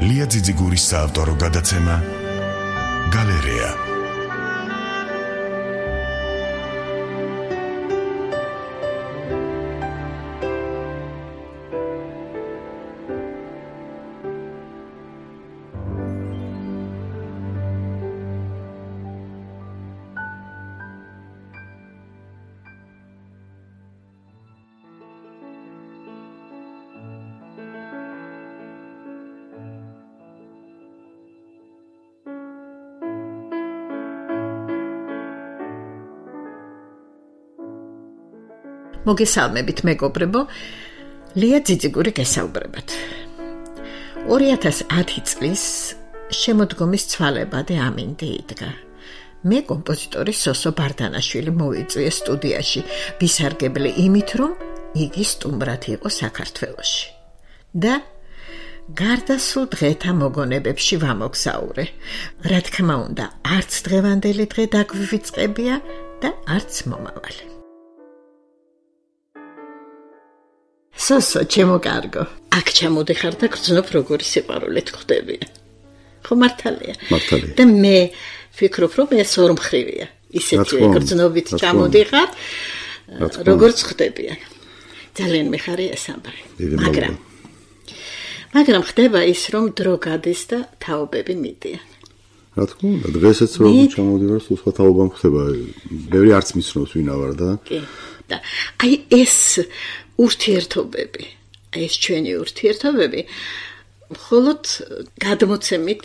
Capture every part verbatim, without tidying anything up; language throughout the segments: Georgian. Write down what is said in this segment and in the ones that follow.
ლია ძიძიგურის საავტორო გადაცემა გალერეა. მოგესალმებით მეგობრებო, ლია ძიძიგური გესაუბრებათ. ორი ათას ათი წლის შემოდგომის ცვალებადე ამინდი იდგა. მე კომპოზიტორი სოსო ბარდანაშვილი მოვიწვია სტუდიაში, ვისარგებლე იმით, რომ იგი სტუმრად იყო საქართველოში. და გარდასრულ დღეთა მოგონებებში ვამოგზაურე. რა თქმა უნდა, არც დღევანდელი დღე დაგვივიწყებია და არც მომავალი. სოსო, ჩემო კარგო. აქ ჩამოდიხარ და გრძნობ როგორი სიყვარულით ხვდებიან. ხო მართალია? მართალია. და მე ვფიქრობ, რომ ეს ორმხრივია. ისეთი გრძნობით ჩამოდიხარ, როგორც ხვდებიან. ძალიან მიხარია ეს ამბავი. მაგრამ მაგრამ ხდება ის, რომ დრო გადის და თაობები მიდიან. რა თქმა უნდა, დღესაც რომ ჩამოდივარ, სულ სხვა თაობა ხდება. ბევრი არც მიცნობს ვინა ვარ და. კი. და აი ეს ურთიერთობები, ეს ჩვენი ურთიერთობები მხოლოდ გადმოცემით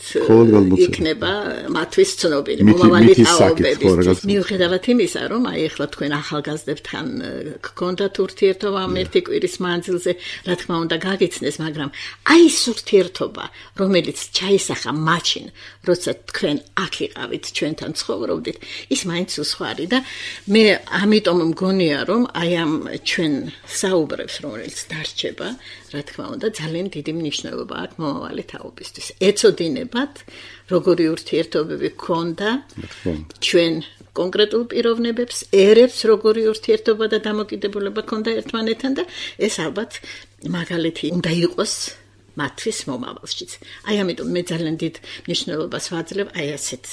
იქნება მათთვის ცნობილი მომავალი თაობების. მიუხედავად იმისა, რომ აი ახლა თქვენ ახალგაზრდებთან გქონდათ ურთიერთობა ერთი კვირის მანძილზე, რა თქმა უნდა გაგიცნეს, მაგრამ აი ეს ურთიერთობა, რომელიც ჩაისახა მაშინ, როცა თქვენ აქ იყავით, ჩვენთან ცხოვრობდით, ის მაინც უსხვარი და მე ამიტომ მგონია, რომ აი ამ ჩვენ საუბრებს, რომელიც დარჩება, რა თქმა უნდა, ძალიან დიდი მნიშვნელობა აქვს მომავალი თაობისთვის. ეწოდინებათ, როგორი ურთიერთობები გქონდა ჩვენ კონკრეტულ პიროვნებებს, ერებს როგორი ურთიერთობა და დამოკიდებულება გქონდა ერთმანეთთან და ეს ალბათ მაგალითი უნდა იყოს მათთვის მომავალშიც. აი ამიტომ მე ძალიან დიდ მნიშვნელობას ვაძლევ აი ასეთ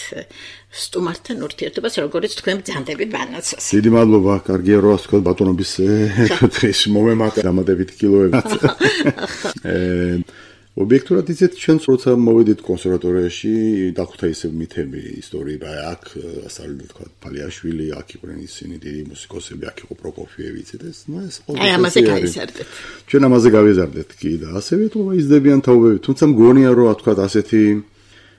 სტუმართან ურთიერთობას, როგორც თქვენ ბრძანდებით ბანაცოს. დიდი მადლობა, კარგია რომ ასკოლ ბატონობის დღეს მომემატა დამატებით კილოები. ობიექტურად იცით, ჩვენ როცა მოვედით კონსერვატორიაში, დახვდა ისევ მითები ისტორია, აქ ასწავლიდა თქვა ფალიაშვილი, აქ იყვნენ ისინი დიდი მუსიკოსები, აქ იყო პროკოფიევი, იცით ეს, ну ეს ყოველთვის აი ამაზე გავიზარდეთ. ჩვენ ამაზე გავიზარდეთ კი და ასევე თქო იზრდებიან თაობები, თუმცა მგონია რომ თქვა ასეთი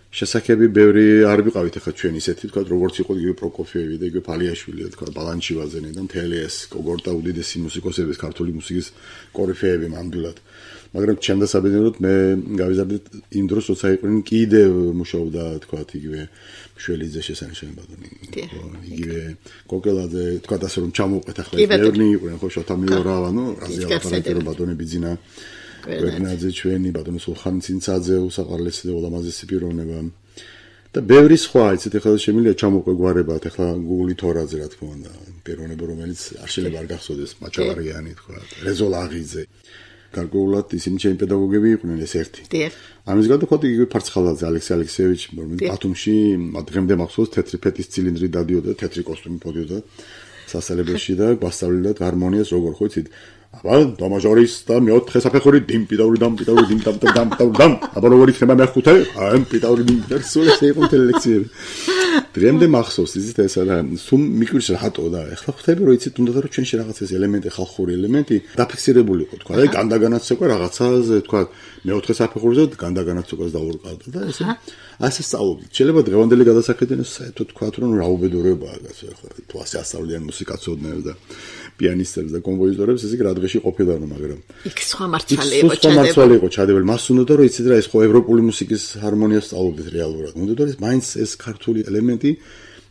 შესაძლებელი ბევრი არ ვიყავით ახლა ჩვენ ისეთი თქვა როგორც იყო იგივე პროკოფიევი და იგივე ფალიაშვილი და თქვა ბალანჩივაძენი და მთელი ეს კოგორტა უდიდესი მუსიკოსების ქართული მუსიკის კორიფეები ნამდვილად. მაგრამ ჩემ დასაბედნიეროდ მე გავიზარდეთ იმ დროს, როცა იყვნენ კიდევ მუშაობდა თქვა იგივე მშველიძე შესანიშნავი ბატონი. იგივე კოკელაძე თქვა ასე რომ ჩამოვყეთ ახლა ბევრი იყვნენ ხო შოთა მიორავა, ნუ რაზე აპარატი რომ ბატონი ბიძინა გვერდნაძე ჩვენი ბატონი სულხან ცინცაძე უსაყარლესი და ულამაზესი პიროვნება. და ბევრი სხვა იცით ახლა შემიძლია ჩამოვყე გვარებად ახლა გუგლი თორაძე რა თქმა უნდა პიროვნება რომელიც არ შეიძლება არ გახსოვდეს მაჩავარიანი თქვა რეზო ლაღიძე. გარკვეულად ისინი ჩემი პედაგოგები იყვნენ ეს ერთი. ამის გარდა ხოთი იგივე ფარცხალაძე ალექსი ალექსეევიჩი, რომელიც ბათუმში დღემდე მახსოვს თეთრი ფეთის ცილინდრი დადიოდა, თეთრი კოსტუმი პოდიოდა სასწავლებელში და გვასწავლიდა ჰარმონიას როგორ ხო იცით? აბა დომაჟორის და მეოთხე საფეხური dim პიტაური დამ პიტაური dim დამ დამ დამ დამ აბა როგორ იქნება მეხუთე? აი პიტაური dim და სულ ეს იყო ლექციები. დღემდე მახსოვს იცით ესა და სულ მიკვირს რატო და ახლა ხვდები რომ იცით უნდა რომ ჩვენში რაღაც ეს ელემენტი ხალხური ელემენტი დაფიქსირებული იყო თქვა აი განდაგანაცოკა რაღაცაზე თქვა მეოთხე საფეხურზე განდაგანაცოკას დაურყავდა და ესე ასე სწავლობდით. შეიძლება დღევანდელი გადასახედიდან საერთოდ თქვა რომ რა უბედურებაა გასა ახლა თუ ასე ასწავლიან მუსიკაცოდნებს და პიანისტებს და კომპოზიტორებს ესე რა დღეში ყოფილა რომ მაგრამ იქ სხვა მართალი იყო ჩადებული. სხვა მართალი იყო ჩადებული. მას უნდა რომ იცით რა ეს ხო ევროპული მუსიკის ჰარმონიას სწავლობდით რეალურად. უნდა რომ ეს მაინც ეს ქართული ელემენტი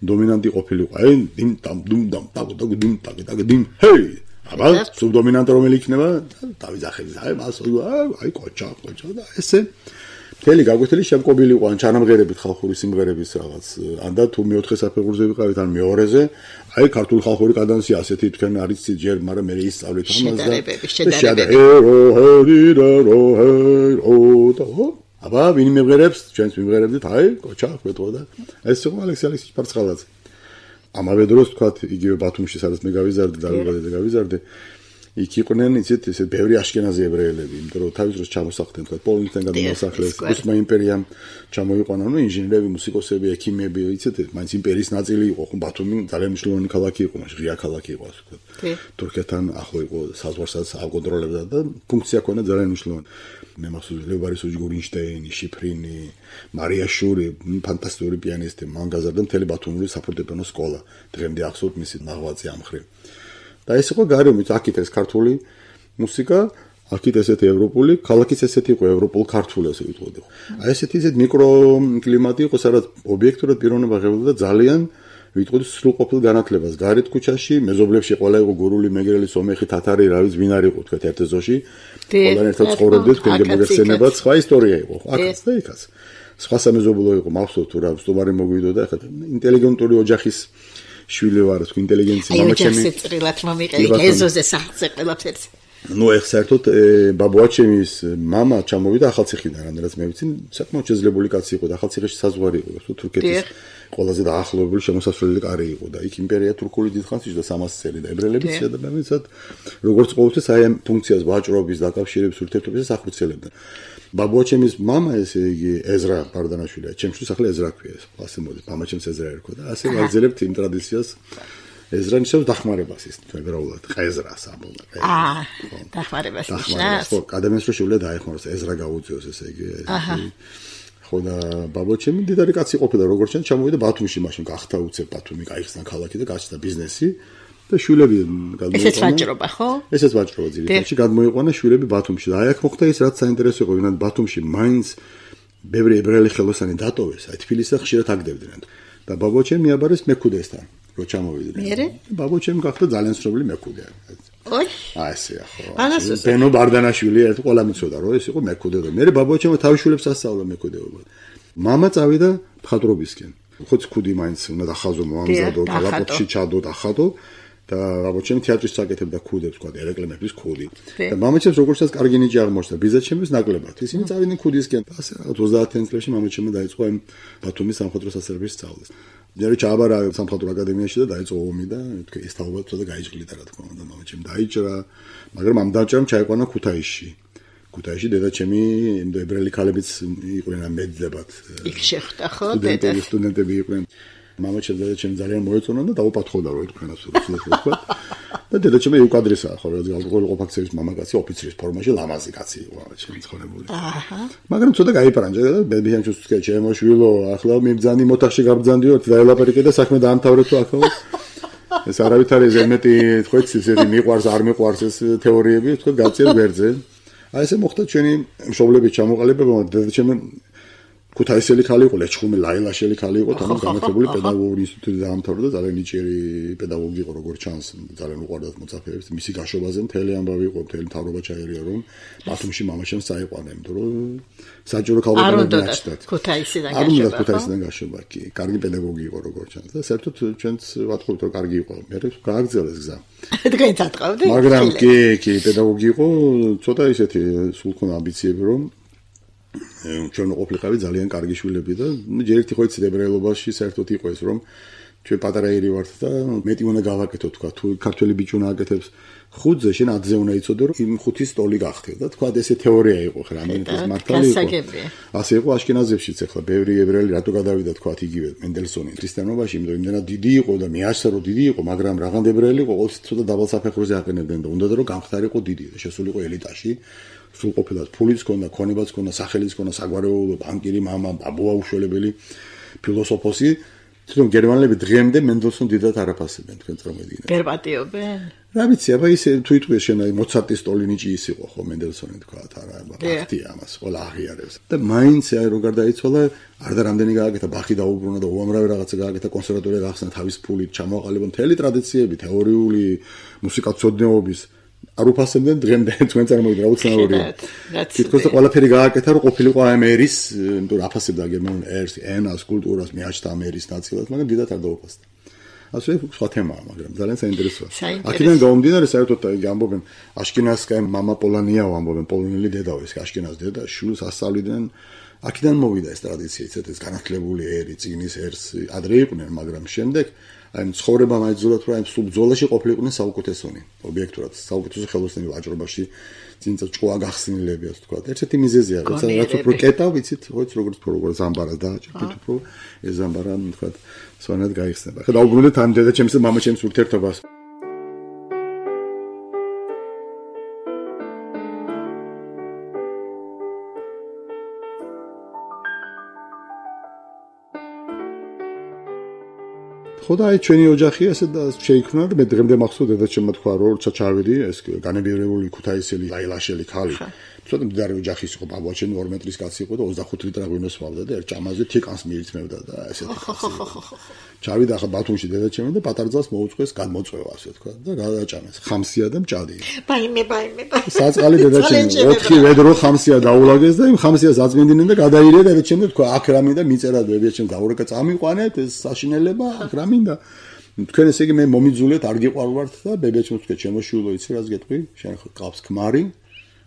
დომინანტი ყოფილიყო. აი დიმ დამ დუმ დამ ტაგ ტაგ დიმ ტაგ ტაგ დიმ ჰეი აბა სუბდომინანტი რომელი იქნება დავიძახები აი მას აი კოჩა კოჩა და ესე მთელი გაგვეთილი შემკობილი იყო ან ჩანამღერებით ხალხური სიმღერების რაღაც ან და თუ მეოთხე საფეხურზე ვიყავით ან მეორეზე აი ქართული ხალხური კადანსი ასეთი თქვენ არის ჯერ მაგრამ მე ისწავლეთ ამას და შედარებები შედარებები აბა ვინ მიღერებს ჩვენს მიღერებდით აი კოჩა ხვეთო და ეს იყო ალექსი ალექსიჩ ფარცხალაძე ამავე დროს თქვა იგივე ბათუმში სადაც მე გავიზარდე და გავიზარდე გავიზარდე იქ იყვნენ იცით ესე ბევრი აშკენაზი ებრაელები იმიტომ რომ თავის დროს ჩამოსახლდნენ თქვა პოლონეთიდან გადმოსახლეს ოსმა იმპერიამ ჩამოიყვანა ნუ ინჟინერები მუსიკოსები ექიმები იცით მაინც იმპერიის ნაწილი იყო ხო ბათუმი ძალიან მნიშვნელოვანი ქალაქი იყო მაშინ ღია ქალაქი იყო ასე ვთქვათ თურქეთთან ახლო იყო საზღვარსაც აკონტროლებდა და ფუნქცია ჰქონდა ძალიან მნიშვნელოვანი მე მახსოვს ლევარის უჯგურინშტეინი შიფრინი მარიაშური ფანტასტიკური პიანისტი მან გაზარდა მთელი ბათუმური საფორტეპიანო სკოლა დღემდე ახსოვთ მისი ნაღვაწი ამ მხრივ და ეს იყო გარემოც აქეთ ეს ქართული მუსიკა აქეთ ესეთი ევროპული ქალაქიც ესეთი იყო ევროპულ ქართული ასე ვიტყოდი აი ესეთი ისეთ მიკროკლიმატი იყო სადაც ობიექტურად პიროვნება ღებულობდა ძალიან ვიტყოდი სრულყოფილ განათლებას გარეთ ქუჩაში მეზობლებში ყველა იყო გურული მეგრელი სომეხი თათარი რა ვიცი ვინ არის იყო თქვა ერთ ზოში ყველანი ერთად ცხოვრობდით თქვენ მოგეხსენებათ სხვა ისტორია იყო აქაც და იქაც სხვა სამეზობლო იყო მახსოვს თუ რა სტუმარი მოგვიდოდა ახლა ინტელიგენტური ოჯახის შვილი ვარ თუ ინტელიგენცია მამაჩემი აი წრილად მომიყევი ეზოზე საერთოდ ყველაფერს ნუ ეხ საერთოდ ბაბუაჩემის მამა ჩამოვიდა ახალციხიდან რადგანაც მე ვიცი საკმაოდ შეძლებული კაცი იყო და ახალციხეში საზღვარი იყო თუ თურქეთის ყველაზე დაახლოებული შემოსასვლელი კარი იყო და იქ იმპერია თურქული დიდხანს იჯდა სამას წელი და ებრაელები შეადაბამისად როგორც ყოველთვის აი ამ ფუნქციას ვაჭრობის დაკავშირების ურთიერთობისას ახორციელებდნენ ბაბუაჩემის მამა ესე იგი ეზრა ბარდანაშვილი ჩემთვის ახლა ეზრა ქვია ეს ასე მოდი მამაჩემს ეზრა ერქვა და ასე ვაგრძელებთ იმ ტრადიციას ეზრა ნიშნავს დახმარებას ის ებრაულად ყეზრას ამბობენ აა დახმარებას ნიშნავს ხო ადამიანს რო შეუძლია დაეხმაროს ეზრა გაუწიოს ესე იგი ხო და ბაბუაჩემი დიდარი კაცი ყოფილა როგორც ჩვენ ჩამოვიდა ბათუმში მაშინ გახდა უცებ ბათუმი გაიხსნა ქალაქი და გაჩნდა ბიზნესი და შვილები გადმოიყვანა ესეც ვაჭრობა ხო ესეც ვაჭრობა ძირითადად გადმოიყვანა შვილები ბათუმში და აი აქ მოხდა ის რაც საინტერესო იყო ვინმე ბათუმში მაინც ბევრი ებრაელი ხელოსანი დატოვეს აი თბილისზე ხშირად აგდებდნენ და ბაბუაჩემი მიაბარეს მეკუდესთან რო ჩამოვიდნენ ბაბუაჩემი გახდა ძალიან ცნობილი მეკუდე ოი აი ესეა ხო ბენო ბარდანაშვილი ერთ ყველა მიცოდა რომ ეს იყო მეკუდე და მე ბაბუაჩემი თავის შვილებს ასწავლა მეკუდეობა მამა წავიდა მხატვრობისკენ ხოც ქუდი მაინც უნდა დახაზო მომამზადო გალაპოტში ჩადო დახადო და ბაბუაჩემი თეატრის საკეთებდა ქუდებს თქვა ერეკლემების ქუდი და მამაჩემს როგორცაც კარგი ნიჭი აღმოჩნდა ბიზაჩემის ნაკლებად ისინი წავიდნენ ქუდისკენ და ასე ოცდაათი წლებში მამაჩემი დაიწყო ამ ბათუმის სამხატვრო სასწავლებლის სწავლას ჯერ ჩააბარა სამხატვრო აკადემიაში და დაიწყო ომი და თქვა ეს თაობა ცოტა გაიჭრიდა რა თქმა უნდა მამაჩემ დაიჭრა მაგრამ ამ დაჭრამ ჩაიყვანა ქუთაისში ქუთაისში დედაჩემი ებრაელი ქალებიც იყვნენ ამ მეძებად იქ შეხვდა ხო დედა სტუდენტები იყვნენ მამაჩემ დედაჩემ ძალიან მოეწონა და დაუპათხოდა რომ თქვენას რუსულად თქვა და დედაჩემი უკადრესაა ხო რა ზღალ ყოფაქცევის მამაკაცი ოფიცრის ფორმაში ლამაზი კაცი იყო მამაჩემი ცხოვრებული აჰა მაგრამ ცოტა გაიპარანჯა და ბებიანჩუს თქვა ჩემოშვილო ახლა მიბძანი მოთახში გაბძანდიოთ და ელაპარაკე და საქმე დაამთავრე თუ ახლა ეს არავითარი ზემეტი თქვა ისეთი მიყვარს არ მიყვარს ეს თეორიები თქვა გაწიერ გვერდზე აი ესე მოხდა ჩვენი მშობლების ჩამოყალიბება დედაჩემი ქუთაისელი ხალი იყო ლეჩხუმი ლაილაშელი ხალი იყო თამარ განათლებული პედაგოგიური ინსტიტუტი დაამთავრა და ძალიან ნიჭიერი პედაგოგი იყო როგორც ჩანს ძალიან უყვარდათ მოწაფეებს მისი გაშვებაზე მთელი ამბავი იყო მთელი მთავრობა ჩაერია რომ ბათუმში მამაჩემს წაიყვანა იმიტომ რომ საჯარო ქალბატონები დაჭდათ ქუთაისიდან გაშვება არ უნდა ქუთაისიდან გაშვება კი კარგი პედაგოგი იყო როგორც ჩანს და საერთოდ ჩვენც ვატყობთ რომ კარგი იყო მე გააგრძელეს გზა თქვენ წატყავდით მაგრამ კი კი პედაგოგი იყო ცოტა ისეთი სულ ქონა ამბიციები რომ ჩვენ ყოფილიყავი ძალიან კარგი შვილები და ჯერ ერთი ხო იცით ებრაელობაში საერთოდ იყო ეს რომ ჩვენ პატარაირი ვართ და მეტი უნდა გავაკეთო თქვა თუ ქართველი ბიჭი უნდა აკეთებს ხუთზე შენ ათზე უნდა იცოდე რომ იმ ხუთის ტოლი გახდე და თქვა ესე თეორია იყო ხო რამდენიც მართალი იყო ასე იყო აშკენაზებშიც ახლა ბევრი ებრაელი რატო გადავიდა თქვა იგივე მენდელსონი ქრისტიანობაში იმიტომ იმდენად დიდი იყო და მეაშსა რომ დიდი იყო მაგრამ რაღაც ებრაელი იყო ყოველთვის ცოტა დაბალ საფეხურზე აყენებდნენ და უნდა რომ გამხდარიყო დიდი და შესულიყო ელიტაში სრულყოფილად ფულიც ქონდა, ქონებაც ქონდა, სახელიც ქონდა, საგვარეულო, ბანკირი, მამა, ბაბუა უშველებელი, ფილოსოფოსი. თვითონ გერმანელები დღემდე მენდელსონ დიდად არაფასებენ თქვენ წარმოგიდგენთ. ვერ პატიობენ. რა ვიცი, აბა ისე თუ იტყვი შენ აი მოცარტის ტოლინიჭი ის იყო ხო მენდელსონი თქვა არა, ბახტი ამას ყველა აღიარებს. და მაინც აი რო გარდაიცვალა, არ და რამდენი გააკეთა ბახი დაუბრუნა და უამრავი რაღაცა გააკეთა კონსერვატორია გახსნა თავის ფულით, ჩამოაყალიბა მთელი ტრადიციები, თეორიული მუსიკათმცოდნეობის არ უფასებდნენ დღემდე თქვენ წარმოგიდგენთ უცნაურია. თითქოს ყველაფერი გააკეთა რომ ყოფილიყო ამ ერის, იმიტომ რომ აფასებდა გერმანულ ერს, ენას, კულტურას, მიაჩნდა ამ ერის ნაწილად, მაგრამ დიდად არ დაუფასდა. ასე სხვა თემაა, მაგრამ ძალიან საინტერესოა. აქედან გამომდინარე საერთოდ იგი ამბობენ აშკენაზკაი მამა პოლონიაო ამბობენ პოლონელი დედაო ეს აშკენაზ დედა შვილს ასწავლიდნენ აქედან მოვიდა ეს ტრადიცია, ეს განათლებული ერი, წიგნის ერს ადრე იყვნენ, მაგრამ შემდეგ აი ცხოვრება მაიძულათ, რომ აი სულ ბრძოლაში ყოფილიყვნენ საუკეთესონი, ობიექტურად, საუკეთესო ხელოსნები ვაჭრობაში, წინწა ჭკუა გახსნილებია, თქვა. ერთ-ერთი მიზეზია, რაც რაც უფრო კეტავ, ვიცით, ხოც როგორც როგორ ზამბარას დააჭერთ, უფრო ეს ზამბარა, თქვა, სვანად გაიხსნება. ხა დაუბრუნდეთ ამ დედაჩემს და მამაჩემს ურთიერთობას. ხოდა აი ჩვენი ოჯახი ასე და შეიქმნა და მე დღემდე მახსოვს დედაჩემმა თქვა რომ როცა ჩავიდი ეს განებიერებული ქუთაისელი აილაშელი ხალი ცოტა მდიდარი ოჯახის იყო ბაბუაჩემი ორი მეტრის კაცი იყო და ოცდახუთი ლიტრი ღვინოს მოვდა და ერთ ჭამაზე თიკანს მიიწმევდა და ესეთი ჩავიდა ახლა ბათუმში დედაჩემი და პატარ ძალს მოუწყვეს გადმოწვევა ასე თქვა და გადააჭამეს ხამსია და მჭადი ბაიმე ბაიმე საწყალი დედაჩემი ოთხი ვედრო ხამსია დაულაგეს და იმ ხამსიას აწმინდნენ და გადაირია დედაჩემი თქვა აქ რა მინდა მიწერა დედაჩემ დაურეკა წამიყვანეთ ეს საშინელება აქ რა მინდა თქვენ ესე იგი მე მომიძულეთ არ გიყვარვართ და ბებიაჩემს თქვა შემოშულო იცი რას გეტყვი შენ ხო ყავს ქმარი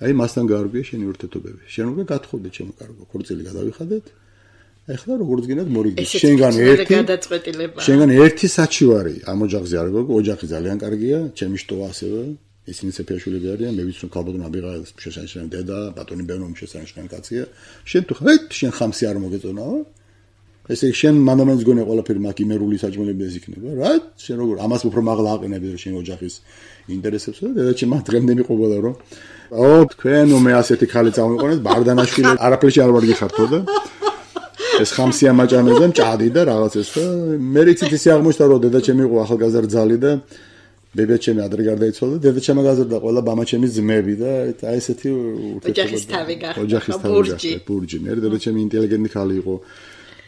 აი მასთან გაარგვია შენი ურთიერთობები შენ უკვე გათხოვდი ჩემო კარგო ქორწილი გადავიხადეთ ეხლა როგორც გინდათ მორიგდი შენგან ერთი შენგან ერთი საჩივარი ამ ოჯახზე არ გოგო ოჯახი ძალიან კარგია ჩემი შტოა ასევე ისინი ცეფიაშვილები არიან მე ვიცი რომ ქალბატონ აბიღა შესანიშნავი დედა ბატონი ბენო შესანიშნავი კაცია შენ თუ ხარ შენ ხამსი არ მოგეწონაო ესე შენ მანდამენს გონე ყველაფერი მაგ იმერული საჭმელები ეს იქნება რა შენ როგორ ამას უფრო მაღლა აყენები რომ შენ ოჯახის ინტერესებს და დედაჩემ დღემდე მიყვებოდა რომ აო თქვენ მე ასეთი ხალი წამოიყვანეთ ბარდანაშვილი არაფერში არ ვარ გიხართო და ეს ხამსია მაჭამეს და მჭადი და რაღაც ეს და მე რიცით ისე აღმოჩნდა რომ დედაჩემი იყო ახალგაზრდა ძალი და ბებიაჩემი ადრე გარდაიცვალა და დედაჩემი გაზრდა ყველა ბამაჩემის ძმები და აი ესეთი ოჯახის თავი გახდა ოჯახის თავი გახდა ბურჯი მე დედაჩემი ინტელიგენტი ხალი იყო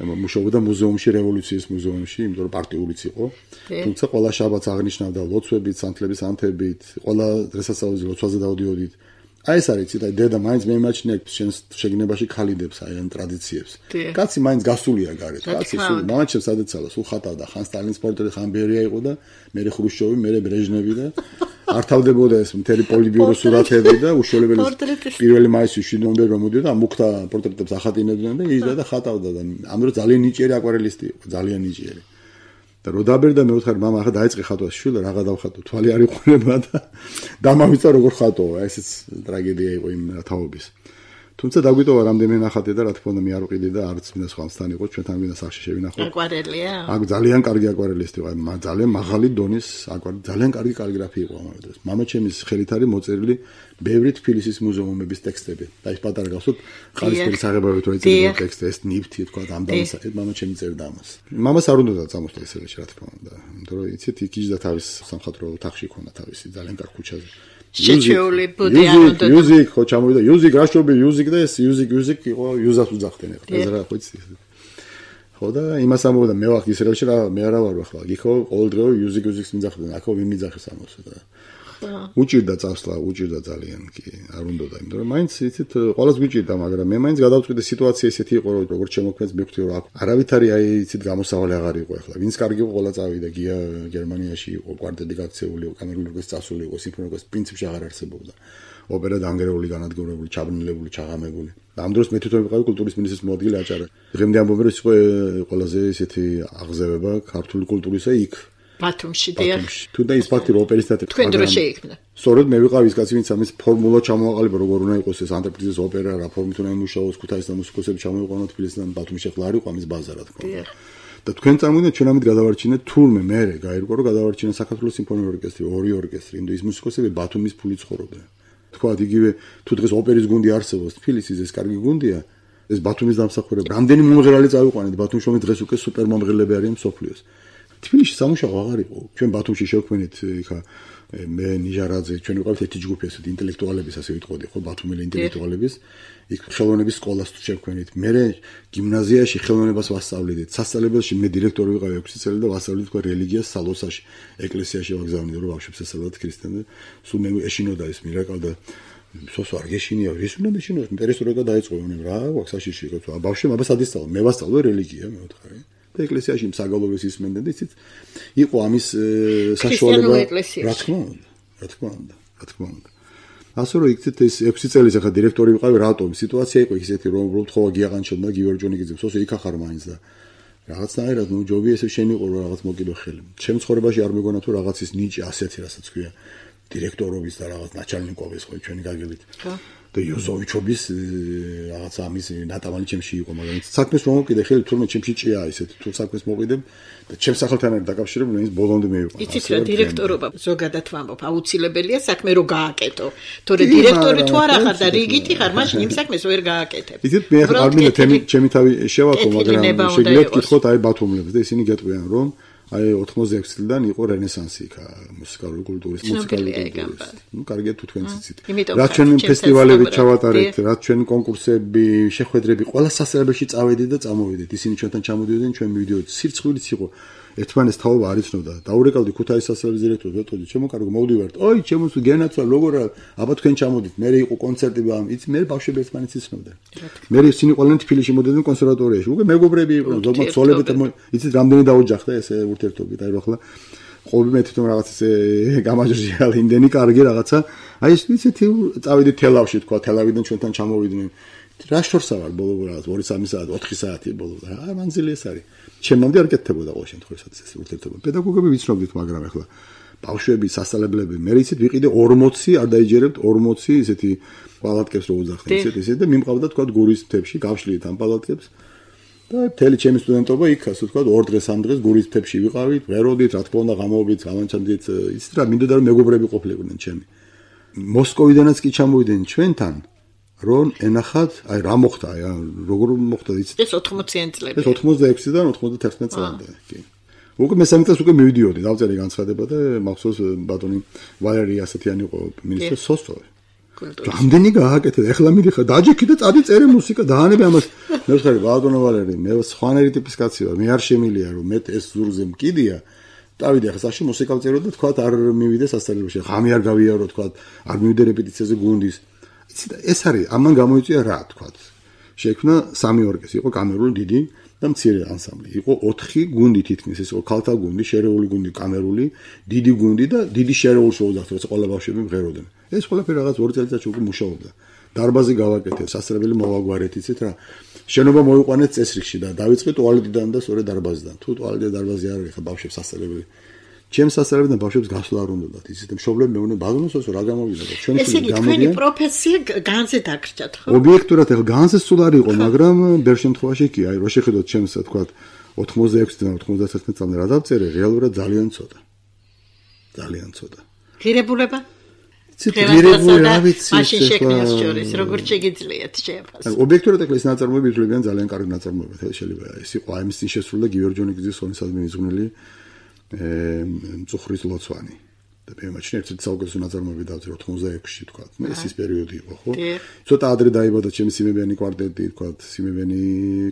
მუშაობდა მუზეუმში რევოლუციის მუზეუმში იმიტომ რომ პარტიულიც იყო თუმცა ყველა შაბათს აღნიშნავდა ლოცვებით სანთლების ანთებით ყველა დღესასწაულზე ლოცვაზე დავდიოდით აი ეს არის ციტა დედა მაინც მე იმაჩნია შენს შეგნებაში ქალიდებს აი ამ ტრადიციებს კაცი მაინც გასულია გარეთ კაცი სულ მამაჩემს ადეცალა სულ ხატავდა ხან სტალინის პორტრეტი ხან ბერია იყო და მე ხრუშჩოვი მე ბრეჟნევი და არ თავდებოდა ეს მთელი პოლიტბიურო სურათები და უშუალებელი პირველი მაისში ნომბერი რომ მოდიოდა მუქთა პორტრეტებს ახატინებდნენ და იჯდა და ხატავდა და ამ დროს ძალიან ნიჭიერი აკვარელისტი იყო ძალიან ნიჭიერი და რო დაბერდა მე ვთხარ მამა ახლა დაიწყე ხატვას შვილო რაღა დავხატო თვალი არ იყურება და დამავიწა როგორ ხატო ესეც ტრაგედია იყო იმ თაობის თუმცა დაგვიტოვა რამდენი ნახატი და რა თქმა უნდა მე არ ვყიდი და არც მინდა სხვასთან იყო ჩვენთან მინდა სახში შევინახო აკვარელია აქ ძალიან კარგი აკვარელისტი იყო ძალიან მაღალი დონის აკვარელი ძალიან კარგი კალიგრაფი იყო ამავე დროს მამაჩემის ხელით არის მოწერილი ბევრი თბილისის მუზეუმების ტექსტები და ის პატარა გახსოვთ ყალისფერი საღებავით რო ეწერა ტექსტი ეს ნიფთი თქვა ამ დამსახეთ მამაჩემი წერდა ამას მამას არ უნდა წამოსდა ესელეში რა თქმა უნდა იმიტომ რომ იცით იქიჯდა თავის სამხატვრო ოთახში ქონდა თავისი ძალიან კარგი ქუჩაზე შეჩეული ბუდე ანოდა იუზიკ ხო ჩამოვიდა იუზიკ რაშობი იუზიკ და ეს იუზიკ იუზიკ იყო იუზას უძახდნენ ახლა ეს რა ხო იცი ხო და იმას ამბობდა მე ვახ ისრაელში რა მე არა ვარ ახლა გიხო ყოველდღე იუზიკ იუზიკს მიძახდნენ აქ ვინ მიძახეს ამას და უჭირდა წასვლა უჭირდა ძალიან კი არ უნდოდა იმიტომ რომ მაინც იცით ყოველს გვიჭირდა მაგრამ მე მაინც გადავწყვიტე სიტუაცია ესეთი იყო რომ როგორც შემოქმნეს მივხვდი რომ არავითარი აი იცით გამოსავალი აღარ იყო ახლა ვინც კარგი იყო ყველა წავიდა გია გერმანიაში იყო კვარტეტი გაქცეული იყო კამერული ორკესტრი წასული იყო სიმფონიური ორკესტრი პრინციპში აღარ არსებობდა ოპერა დაანგრეული განადგურებული ჩაბნელებული ჩაღამებული ამ დროს მე თვითონ ვიყავი კულტურის მინისტრის მოადგილე აჭარა დღემდე ამბობენ რომ ის იყო ყველაზე ესეთი აღზევება ქართული კულტურისა იქ ბათუმში დიახ თუ და ის ფაქტი რომ ოპერის თეატრი თქვენ დრო შეიქმნა სწორედ მე ვიყავი ის კაცი ვინც ამის ფორმულა ჩამოაყალიბა როგორ უნდა იყოს ეს ანტრეპრიზის ოპერა რა ფორმით უნდა იმუშაოს ქუთაისთან მუსიკოსები ჩამოიყვანოთ თბილისიდან ბათუმში ახლა არ იყო ამის ბაზა რა თქმა უნდა და თქვენ წარმოგიდგენთ ჩვენ ამით გადავარჩინეთ თურმე მე გაირკვა რომ გადავარჩინეთ საქართველოს სიმფონიური ორკესტრი ორი ორკესტრი იმდო ის მუსიკოსები ბათუმის ფული ცხოვრობდნენ თქვა იგივე თუ დღეს ოპერის გუნდი არსებობს თბილისის ეს კარგი გუნდია ეს ბათუმის დამსახურება რამდენი მომღერალი წავიყვანეთ ბათუმში რომ დღეს უკვე სუპერ მომღერლები არიან მსოფლიოს თბილისში სამუშაო აღარ იყო ჩვენ ბათუმში შევქმნით იქა მე ნიჟარაძე ჩვენ ვიყავით ერთი ჯგუფი ასეთ ინტელექტუალების ასე ვიტყოდი ხო ბათუმელი ინტელექტუალების იქ ხელოვნების სკოლას შევქმნით მე გიმნაზიაში ხელოვნებას ვასწავლიდით სასწავლებელში მე დირექტორი ვიყავი ექვსი წელი და ვასწავლიდით თქვა რელიგიას სალოსაში ეკლესიაში ვაგზავნიდით რომ ბავშვებს ესწავლათ ქრისტიანობა სულ მე ეშინოდა ეს მირაკალ და სოს არ გეშინია ის უნდა მეშინოს პერესტროიკა დაიწყო რა ვაქსაშიში იყო ბავშვი მაგას ადისწავლო მე ვასწავლე რელიგია მე ვთხარი და ეკლესიაში მსაგალობის ისმენდნენ და იცით იყო ამის საშუალება რა თქმა უნდა რა თქმა უნდა რა თქმა უნდა ასე რომ იქით ეს ექვსი წელი ახლა დირექტორი ვიყავი, რატომ სიტუაცია იყო ისეთი, რომ უბრალოდ ხო გიაყანჩელდა გიორჯონიკიძე, სოსო იქახარ მაინც და რაღაცნაირად ნუ ჯობი ესე შენიყო რომ რაღაც მოკიდო ხელი. ჩემ ცხოვრებაში არ მეგონა თუ რაღაცის ნიჭი ასეთი რასაც ქვია დირექტორობის და რაღაც ნაჩალნიკოვის ხო ჩვენი გაგებით. და იოზოვიჩობის რაღაც ამის ნატავანი ჩემში იყო, მაგრამ საქმეს რომ მოკიდე ხელი თურმე ჩემში ჭია ისეთი თუ საქმეს მოვიდებ და ჩემს სახელთან არის დაკავშირებული, ის ბოლომდე მეიყო. იცით რა დირექტორობა ზოგადად ვამბობ, აუცილებელია საქმე რო გააკეთო. თორე დირექტორი თუ არ ახარ და რიგითი ხარ, მაშინ იმ საქმეს ვერ გააკეთებ. იცით მე ახლა არ მინდა ჩემი თავი შევაქო, მაგრამ შეგიძლიათ გითხოთ აი ბათუმლებს და ისინი გეტყვიან რომ აი ოთხმოცდაექვსი წლიდან იყო რენესანსი იქ მუსიკალური კულტურის მუსიკალური კულტურის. ნუ კარგია თუ თქვენც იცით. რაც ჩვენ ფესტივალები ჩავატარეთ, რაც ჩვენ კონკურსები, შეხვედრები, ყველა სასწრაფოში წავედით და წამოვიდეთ. ისინი ჩვენთან ჩამოდიოდნენ, ჩვენ მივიდიოდით. სირცხვილიც იყო. ერთმანეთს თაობა არ იცნობდა. დაურეკავდი ქუთაისის სასწრაფის დირექტორს, ვეტყოდი, ჩემო კარგო, მოვდივართ. ოი, ჩემო გენაცვალ, როგორ აბა თქვენ ჩამოდით. მე იყო კონცერტები, ამ იცი, მე ბავშვები ერთმანეთს იცნობდნენ. მე ისინი ყველანი თბილისში მოდიოდნენ კონსერვატორიაში. უკვე მეგობრები იყვნენ, ზოგადად ცოლები და იცით რამდენი დაოჯახდა ესე ურთიერთობით. აი რა ხლა ყოველ მე თვითონ რაღაც ესე გამაჟჟია იმდენი კარგი რაღაცა. აი ეს ისეთი წავედით თელავში თქვა, თელავიდან ჩვენთან ჩამოვიდნენ. რა შორსა ვარ ბოლო რაღაც ორი სამი საათი, ოთხი საათი ბოლო. აა მანძილი ეს არის. ჩემამდე არ კეთდებოდა ყოველ შემთხვევაში ეს ურთიერთობა. პედაგოგები ვიცნობდით, მაგრამ ახლა ბავშვები, სასწავლებლები, მე იცით ვიყიდე ორმოცი, არ დაიჯერებთ ორმოცი ისეთი პალატკებს რო უძახდნენ, ისეთ ისეთ და მიმყავდა თქვა გურის მთებში, გავშლით ამ პალატკებს. და მთელი ჩემი სტუდენტობა იქ, ასე თქვა, ორ დღეს ამ დღეს გურის მთებში ვიყავით, ვეროდით, რა თქმა უნდა, გამოვიდით, გამანჩანდით, იცით რა, მინდოდა რომ მეგობრები ყოფილიყვნენ ჩემი. მოსკოვიდანაც კი ჩამოვიდნენ ჩვენთან. რომ ენახათ, აი რა მოხდა, აი როგორ მოხდა იცით? ეს ოთხმოციან წლები. ეს ოთხმოცდაექვსიდან ოცდათერთმეტ წლამდე, კი. უკვე მესამე წელს უკვე მივიდიოდი, დავწერე განცხადება და მახსოვს ბატონი ვალერი ასეთიანი იყო მინისტრი სოსტოვი. რამდენი გააკეთე, ეხლა მიდიხარ, დაჯექი და წადი წერე მუსიკა, დაანებე ამას. მე ვხარი ბატონო ვალერი, მე სხვანაირი ტიპის კაცი ვარ, მე არ შემილია რომ მე ეს ზურზე მკიდია. დავიდე ახლა საში მუსიკა ვწერო და თქვა არ მივიდე სასწავლებელში. ხამი არ გავიარო, თქვა არ მივიდე რეპეტიციაზე გუნდის. ეს არის ამან გამოიწვია რა თქვათ. შექმნა სამი ორკესტრი, იყო კამერული დიდი და მცირე ანსამბლი. იყო ოთხი გუნდი თითქმის, ეს იყო ქალთა გუნდი, შერეული გუნდი, კამერული, დიდი გუნდი და დიდი შერეული შეუძახთ, როცა ყველა ბავშვები მღეროდნენ. ეს ყველაფერი რაღაც ორი წელიწადში უკვე მუშაობდა. დარბაზი გავაკეთეთ, სასწავლებელი მოვაგვარეთ, იცით რა. შენობა მოიყვანეთ წესრიგში და დავიწყეთ ტუალეტიდან და სწორედ დარბაზიდან. თუ ტუალეტი და დარბაზი არ არის, ხა ბავშვებს სასწავლებელი ჩემს სასწავლებელთან ბავშვებს გასვლა არ უნდათ, ისეთ მშობლები მეუბნებიან, ბაზონოსო რა გამოვიდა და ჩვენი ეს იგი თქვენი პროფესია განზე დაგრჩათ, ხო? ობიექტურად ახლა განზე სულ არ იყო, მაგრამ ბევრ შემთხვევაში კი, აი, რო შეხედოთ ჩემს, თქვა, ოთხმოცდაექვსიდან ოცდათერთმეტ წლამდე რა დავწერე, რეალურად ძალიან ცოტა. ძალიან ცოტა. ღირებულება? ღირებული რა ვიცი, მაშინ შექმნას შორის, როგორ შეგიძლიათ შეაფასო? ობიექტურად ახლა ეს ნაწარმოები ითვლებიან ძალიან კარგი ნაწარმოები, შეიძლება ეს იყო აი მის წინ შესრულდა გიორჯონიკიძის სონისადმი მიზღვნილი მწუხრის ლოცვანი. და მე მაჩნია ერთ საუკეთესო ნაწარმოები დავწერე ოთხმოცდაექვსში თქვა. მე ეს ის პერიოდი იყო, ხო? ცოტა ადრე დაიბადა ჩემი სიმებიანი კვარტეტი, თქვა, სიმებიანი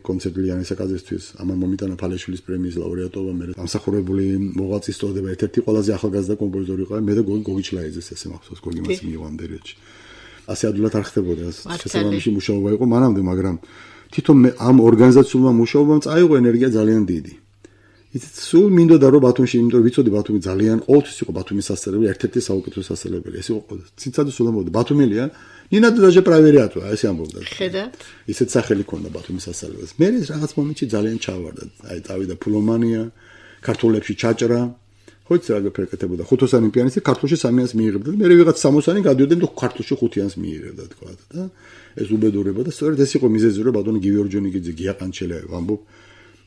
კონცერტი ლიანის აკაზისთვის, ამან მომიტანა ფალეშვილის პრემიის ლაურეატობა, მე დამსახურებული მოღვაწის წოდება, ერთ-ერთი ყველაზე ახალგაზრდა კომპოზიტორი იყო, მე და გოგი გოგიჩლაიძეს ესე მახსოვს, გოგი მას მიიღო ამ პერიოდში. ასე ადვილად არ ხდებოდა, შესაბამისი მუშაობა იყო მანამდე, მაგრამ თვითონ მე ამ ორგანიზაციულმა მუშაობამ წაიღო ენერგია ძალიან დიდი. იცით, სულ მინდოდა რომ ბათუმში, იმიტომ რომ ვიცოდი ბათუმი ძალიან ყოველთვის იყო ბათუმის სასწავლებელი, ერთ-ერთი საუკეთესო სასწავლებელი. ეს იყო ციცადი სულამოვდა ბათუმელია, ნინა დაჟე პრაივერიატო, ესე ამბობდა. ხედავთ? ისეთ სახელი ქონდა ბათუმის სასწავლებელს. მე რაღაც მომენტში ძალიან ჩავარდა. აი, წავიდა ფულომანია, ქართულებში ჩაჭრა. ხო იცი რა გაფერკეთებოდა. ხუთოსანი პიანისტი ქართულში სამიანს მიიღებდა. მე ვიღაც სამოცანი გადიოდნენ და ქართულში ხუთიანს მიიღებდა, თქვა და ეს უბედურება და სწორედ ეს იყო მიზეზი, რომ ბატონი გიორჯონიკიძე გიაყანჩელია, ვამბობ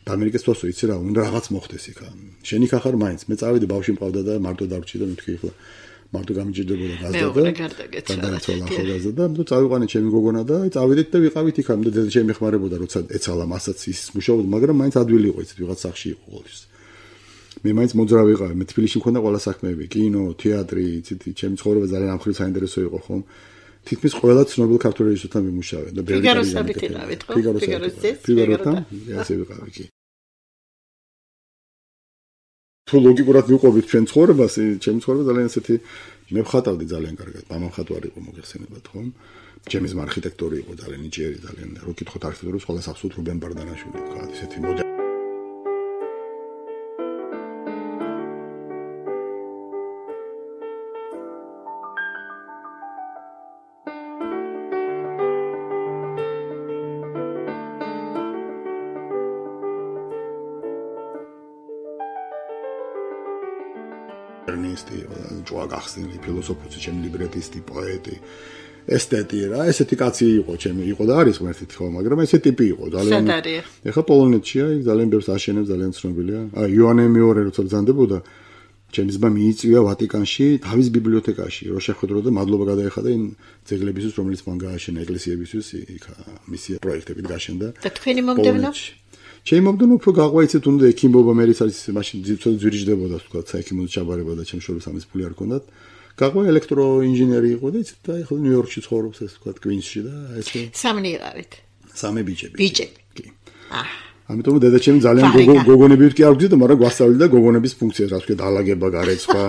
და ამერიკის თოსო იცი რა, უნდა რაღაც მოხდეს იქ. შენი ხახარ მაინც. მე წავედი ბავშვი მყავდა და მარტო დავრჩი და მეთქი ახლა მარტო გამიჭირდებოდა გაზდა და გადააცვალა ახალგაზრდა და ნუ წავიყვანე ჩემი გოგონა და წავედით და ვიყავით იქ ამ და დედა ჩემი ხმარებოდა როცა ეცალა მასაც ის მუშაობდა, მაგრამ მაინც ადვილი იყო იცით ვიღაც სახში იყო ყოველთვის. მე მაინც მოძრავი ვიყავი, მე თბილისში მქონდა ყველა საქმეები, კინო, თეატრი, იცით, ჩემი ცხოვრება ძალიან ამხრივ საინტერესო იყო ხომ. თითქმის ყველა ცნობილ ქართულ რეჟისორთან ვიმუშავე და ბევრი ფიგაროს საბიტილავით, ხო? ფიგაროს ძეს, ფიგაროთან, ასე ვიყავი კი. თუ ლოგიკურად ვიყვებით ჩვენ ცხოვრებას, ჩემი ცხოვრება ძალიან ესეთი მე ვხატავდი ძალიან კარგად. მამა მხატვარი იყო მოგეხსენებათ, ხო? ჩემი ძმა არქიტექტორი იყო ძალიან ნიჭიერი, ძალიან რო კითხოთ არქიტექტურას, ყველა სახსოვთ რუბენ ბარდანაშვილი, თქვა, ესეთი მოდელი ერნისტი, ჯოა გახსნილი, ფილოსოფოსი, ჩემი ლიბრეტისტი, პოეტი, ესთეტი რა, ესეთი კაცი იყო, ჩემი იყო და არის ღმერთით ხო, მაგრამ ესე ტიპი იყო, ძალიან. ეხლა პოლონეთშია, იქ ძალიან ბევრს აშენებს, ძალიან ცნობილია. აი, იოანე მეორე როცა ბრძანდებოდა, ჩემი ძმა მიიწვია ვატიკანში, თავის ბიბლიოთეკაში, რომ შეხვედრო და მადლობა გადაეხადა იმ ძეგლებისთვის, რომელიც მან გააშენა ეკლესიებისთვის, იქ მისი პროექტებით გაშენდა. და თქვენი მომდევნო? ჩემი მომდევნო უფრო გაყვაიცეთ, უნდა ექიმობა, მე ის არის მაშინ ძირითადად ძვირიჯდებოდა, თქვა, საექიმო ჩაბარება და ჩემ შორის ამის ფული არ ქონდათ. გაყვა ელექტროინჟინერი იყო და იცით და ეხლა ნიუ-იორკში ცხოვრობს ეს თქვა კვინსში და ესე სამი იყავით. სამი ბიჭები. ბიჭები. კი. აჰ. ამიტომ დედაჩემი ძალიან გოგონები კი არ გძიდა, მაგრამ გვასწავლიდა გოგონების ფუნქციას, რა თქვა, დაალაგება, გარეცხვა,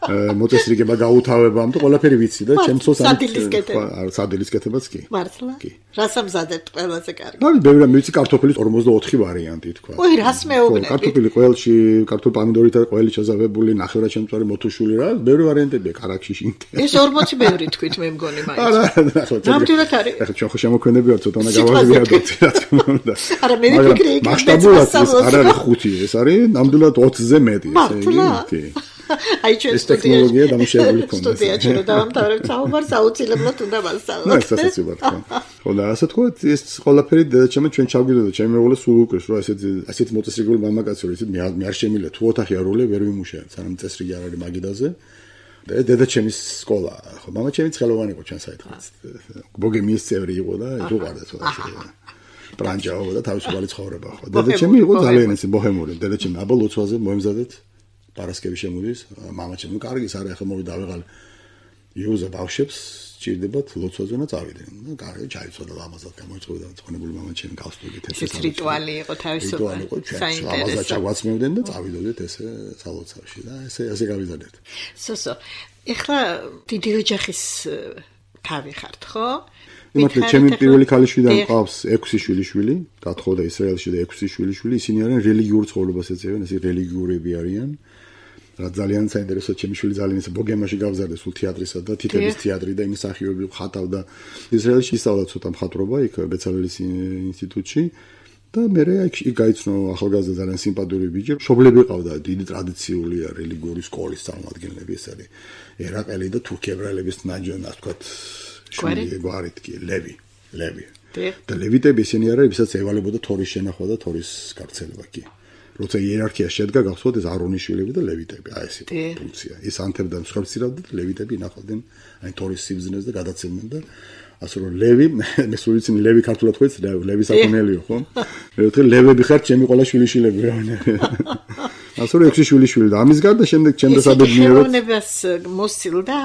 მოწესრიგება, გაუთავება, ამიტომ ყველაფერი ვიცი და ჩემცოს ამ სადილის კეთებაც კი. მართლა? კი. რას ამზადებთ ყველაზე კარგი? ნუ ბევრი ვიცი კარტოფილის ორმოცდაოთხი ვარიანტი თქვა. ой, რას მეუბნები? კარტოფილი ყველში, კარტოფილ პამიდორით და ყველი ჩაზავებული, ნახევრადჩემწვარი მოთუშული რა, ბევრი ვარიანტებია კარაქში შინტე. ეს ორმოცი ბევრი თქვით მე მგონი მაინც. არა, ნახო. ნამდვილად არის. ეხლა ჩვენ ხო შემოქმედები ვართ, ცოტა უნდა გავაზრიადოთ, რა თქმა უნდა. არა, მე ვიფიქრე იქ მასშტაბურად არ არის ხუთი, ეს არის ნამდვილად ოცზე მეტი, ესე იგი. კი. აი ჩვენ ტექნოლოგია დამუშავებული ქონდა. სტუდიაში რომ დავამთავრებ საუბარს აუცილებლად უნდა მასწავლოთ. ნუ ესეც ვარ თქო. ხო და ასე თქო, ეს ყველაფერი დედაჩემი ჩვენ ჩავგიდოდა, ჩემი მეუღლე სულ უკრეს, რომ ესეთი ასეთი მოწესრიგებული მამაკაცი რო ისე მე არ შემიძლია თუ ოთახი არ ულე ვერ ვიმუშავებ, სანამ წესრიგი არ არის მაგიდაზე. და დედაჩემის სკოლა, ხო, მამაჩემი ცხელოვანი იყო ჩვენ საერთოდ. ბოგემიის წევრი იყო და ის უყარდა ცოტა. ბრანჯაო და თავისუფალი ცხოვრება, ხო. დედაჩემი იყო ძალიან ესე ბოჰემური, დედაჩემი აბა ლოცვაზე მოემზადეთ. პარასკევი შემოდის, მამაჩემ, ნუ კარგი, სარა ახლა მოვიდა ავეღალ იუზა ბავშვებს, ჭირდებათ ლოცვაზე და წავიდნენ. ნუ კარგი, ჩაიცვალა ლამაზად გამოიწვევდა ცხონებული მამაჩემი გასტურით ესე. ეს რიტუალი იყო თავისუფალი. ლამაზად ჩაგვაცმევდნენ და წავიდოდით ესე სალოცავში და ესე ასე გავიზარდეთ. სოსო, ეხლა დიდი ოჯახის თავი ხართ, ხო? იმათი ჩემი პირველი ქალიშვიდან მყავს ექვსი შვილიშვილი, გათხოვდა ისრაელში და ექვსი შვილიშვილი, ისინი არიან რელიგიურ ცხოვრებას ეწევიან, ესე რელიგიურები არიან. რა ძალიან საინტერესო, ჩემი შვილი ძალიან ისე ბოგემაში გავზარდა სულ თეატრისა და თითების თეატრი და იმის სახიობები ხატავდა. ისრაელში ისწავლა ცოტა მხატვრობა იქ ბეცალელის ინსტიტუტში და მე იქ გაიცნო ახალგაზრდა ძალიან სიმპათიური ბიჭი. მშობლები ყავდა, დიდი ტრადიციული რელიგიური სკოლის წარმომადგენლები, ეს არის ერაყელი და თურქი ებრაელების ნაჯონა, ასე ვთქვათ. შვილი გვარით კი ლევი ლევი და ლევიტები ისინი არიან ვისაც ევალებოდა თორის შენახვა და თორის გარცელება კი როცა იერარქია შედგა გახსოვთ ეს არონის შვილები და ლევიტები აი ეს იყო ფუნქცია ის ანთებდა მსხვერპლს ირავდა და ლევიტები ინახავდნენ აი თორის სიბზნეს და გადაცემდნენ და ასე რომ ლევი მე სულ ვიცი ლევი ქართულად ხო იცი ლევი საკონელიო ხო მე ვთქვი ლევები ხართ ჩემი ყველა შვილიშვილები რა ასე რომ ექვსი შვილიშვილი და ამის გარდა შემდეგ ჩემს საბედნიეროდ ხელოვნებას მოსილდა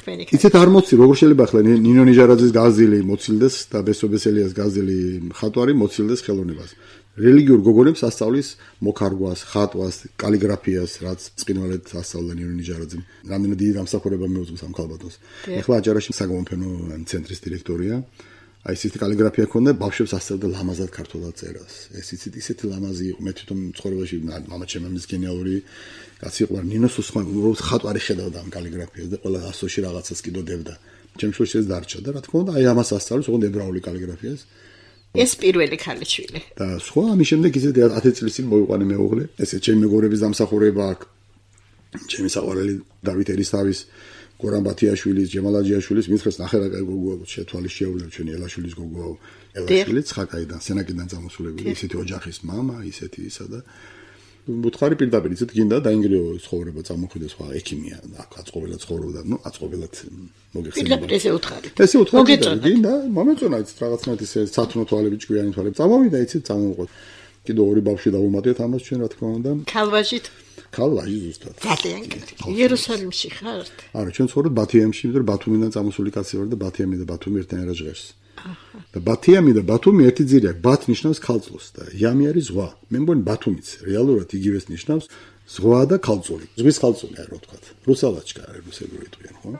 თქვენი ქალი იცით არ მოცილ როგორ შეიძლება ახლა ნინო ნიჟარაძის გაზილი მოცილდეს და ბესობესელიას გაზილი ხატვარი მოცილდეს ხელოვნებას რელიგიურ გოგონებს ასწავლის მოკარგვას, ხატვას, კალიგრაფიას, რაც წინვალედ ასწავლა ნინო ნიჟარაძემ. რამდენად დიდი დამსახურება მეუძღვის ამ ქალბატონს. ეხლა აჭარაში საგამოფენო ცენტრის დირექტორია. აი ისეთი კალიგრაფია ქონდა, ბავშვებს ასწავლა ლამაზად ქართულად წერას. ეს იცით ისეთი ლამაზი იყო, მე თვითონ ცხოვრებაში მამაჩემ ამის გენიალური კაცი იყო, ნინოს სხვა ხატვარი ხედავდა ამ კალიგრაფიას და ყველა ასოში რაღაცას კიდოდებდა. ჩემ შვილს ეს დარჩა და რა თქმა უნდა, აი ამას ასწავლის, ოღონდ ებრაული კალიგრაფიას. ეს პირველი ქალიშვილი. და სხვა ამის შემდეგ ისეთი ათი წლის წინ მოიყვანე მეუღლე. ესე ჩემი მეგობრების დამსახურება აქვს. ჩემი საყვარელი დავით ერისთავის, გორან ბათიაშვილის, ჯემალ აჯიაშვილის, მითხრას ნახე რა კაი გოგოა, შეთვალის შეუძლებ ჩვენი ელაშვილის გოგოა. ელაშვილი ცხაკაიდან, სენაკიდან წამოსულებული, ისეთი ოჯახის მამა, ისეთი ისა და მუთხარი პირდაპირ ისეთ გინდა დაინგრიო ცხოვრება წამოხვიდა სხვა ექიმია, აქ აწყობილად ცხოვრობდა, ნუ აწყობილად მოგეხსენება. პირდაპირ ესე უთხარი. ესე უთხარი გინდა, მომეწონა იცით რაღაცნაირად ისე სათნო თვალები, ჭკვიანი თვალები. წამოვიდა იცით, წამოვყოთ. კიდე ორი ბავშვი დავუმატეთ ამას ჩვენ რა თქმა უნდა. ქალვაჟით. ქალვაჟი ზუსტად. ძალიან კარგი. იერუსალიმში ხართ? არა, ჩვენ ცხოვრობ ბათიამში, იმიტომ რომ ბათუმიდან წამოსული კაცი ვარ და ბათიამი და ბათუმი ერთნაირად ჟღერს. და ბათიამი და ბათუმი ერთი ძირია. ბათ ნიშნავს ქალწულს და იამი არის ზღვა. მე მგონი ბათუმიც რეალურად იგივეს ნიშნავს ზღვა და ქალწული. ზღვის ქალწული არა ვთქვათ. რუსალაჩკა არის რუსებური ტყვიან, ხო?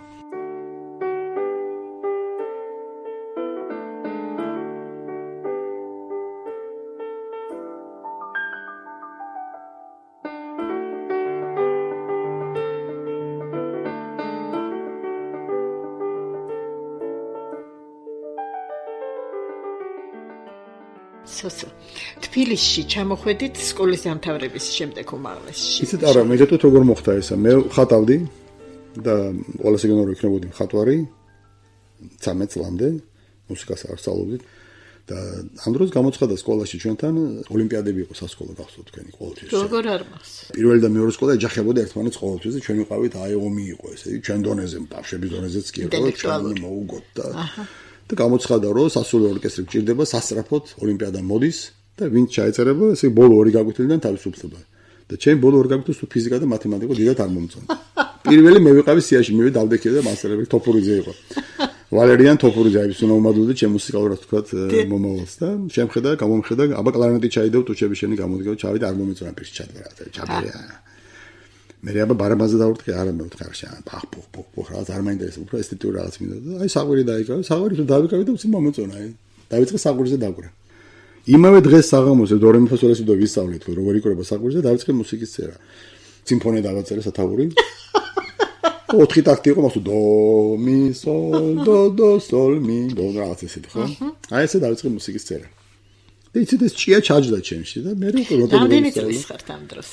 სოსო. თბილისში ჩამოხვედით სკოლის დამთავრების შემდეგ უმაღლესში. იცით არა, მე გეტყვით როგორ მოხდა ესა. მე ხატავდი და ყველაზე გენორო იქნებოდი მხატვარი ცამეტ წლამდე მუსიკას არსწავლობდით და ამ დროს გამოცხადა სკოლაში ჩვენთან ოლიმპიადები იყო სასკოლო გახსოვთ თქვენი ყოველთვის. როგორ არ მახსოვს. პირველი და მეორე სკოლა ეჯახებოდა ერთმანეთს ყოველთვის და ჩვენ ვიყავით აი ომი იყო ესე იგი ჩვენ დონეზე ბავშვების დონეზეც კი იყო ჩვენ მოუგოთ და და გამოცხადა რომ სასულიერო ორკესტრი გჭირდება სასწრაფოდ ოლიმპიადა მოდის და ვინც ჩაეწერება ესე ბოლო ორი გაგვეთილიდან თავისუფლდება და ჩემ ბოლო ორი გაგვეთილს თუ ფიზიკა და მათემატიკა დიდად არ მომწონდა. პირველი მე ვიყავი სიაში მე დავდექე და მასწავლებელი თოფურიძე იყო. ვალერიან თოფურიძე არის უნდა უმადლოდი ჩემ მუსიკალურად თქვათ მომავალს და შემხედა გამომხედა აბა კლარნეტი ჩაიდევ ტუჩები შენი გამოდგა ჩავიდა არ მომეწონა პირში ჩადრა ჩაბერია. მე აბა ბარაბაზე დავურტყე არა მე ვთქარ შენ პახ პუხ პუხ პუხ რაღაც არ მაინტერესებს უფრო ესთეტიური რაღაც მინდა და აი საყვირი დაიკავე საყვირი თუ დავიკავე და უცი მომეწონა აი დავიწყე საყვირზე დაგვრა. იმავე დღეს საღამოზე დო რე მი ფა სოლ ლა სი დო ვისწავლეთ როგორ იქნება საყვირზე დავიწყე მუსიკის წერა. სიმფონია დავაწერე სათაური. ოთხი ტაქტი იყო მასო დო მი სოლ დო დო სოლ მი დო რაღაც ესეთი ხო? აი ესე დავიწყე მუსიკის წერა. და იცით ეს ჭია ჩაჯდა ჩემში და მე უკვე როტები რამდენი წლის ხართ ამ დროს?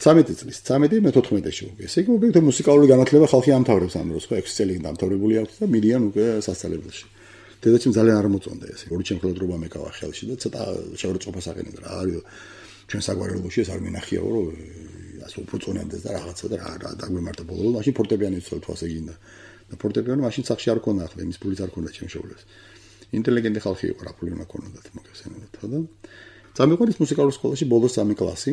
ცამეტი წლის, ცამეტი მე თოთხმეტში უკვე. ესე იგი უკვე მუსიკალური განათლება ხალხი ამთავრებს ამ დროს ხო? ექვსი წელი დამთავრებული აქვს და მიდიან უკვე სასწავლებელში. დედაჩემ ძალიან არ მოწონდა ესე. ორი ჩემხელდრობა მეკავა ხელში და ცოტა შეურწყობას აღენდა რა არის ჩვენ საგვარეულოში ეს არ მინახიაო რომ ასე უბრწონებდეს და რაღაცა და რა დაგვემართა ბოლო მაშინ ფორტეპიანო იცოდა თვასე გინდა და ფორტეპიანო მაშინ სახში არ ქონდა ახლა იმის ფულიც არ ქონდა ჩემ შოულებს ინტელიგენტი ხალხი იყო რა ფული უნდა ქონოდათ მოგესწრებათ ხო და წამიყვანით მუსიკალურ სკოლაში ბოლოს სამი კლასი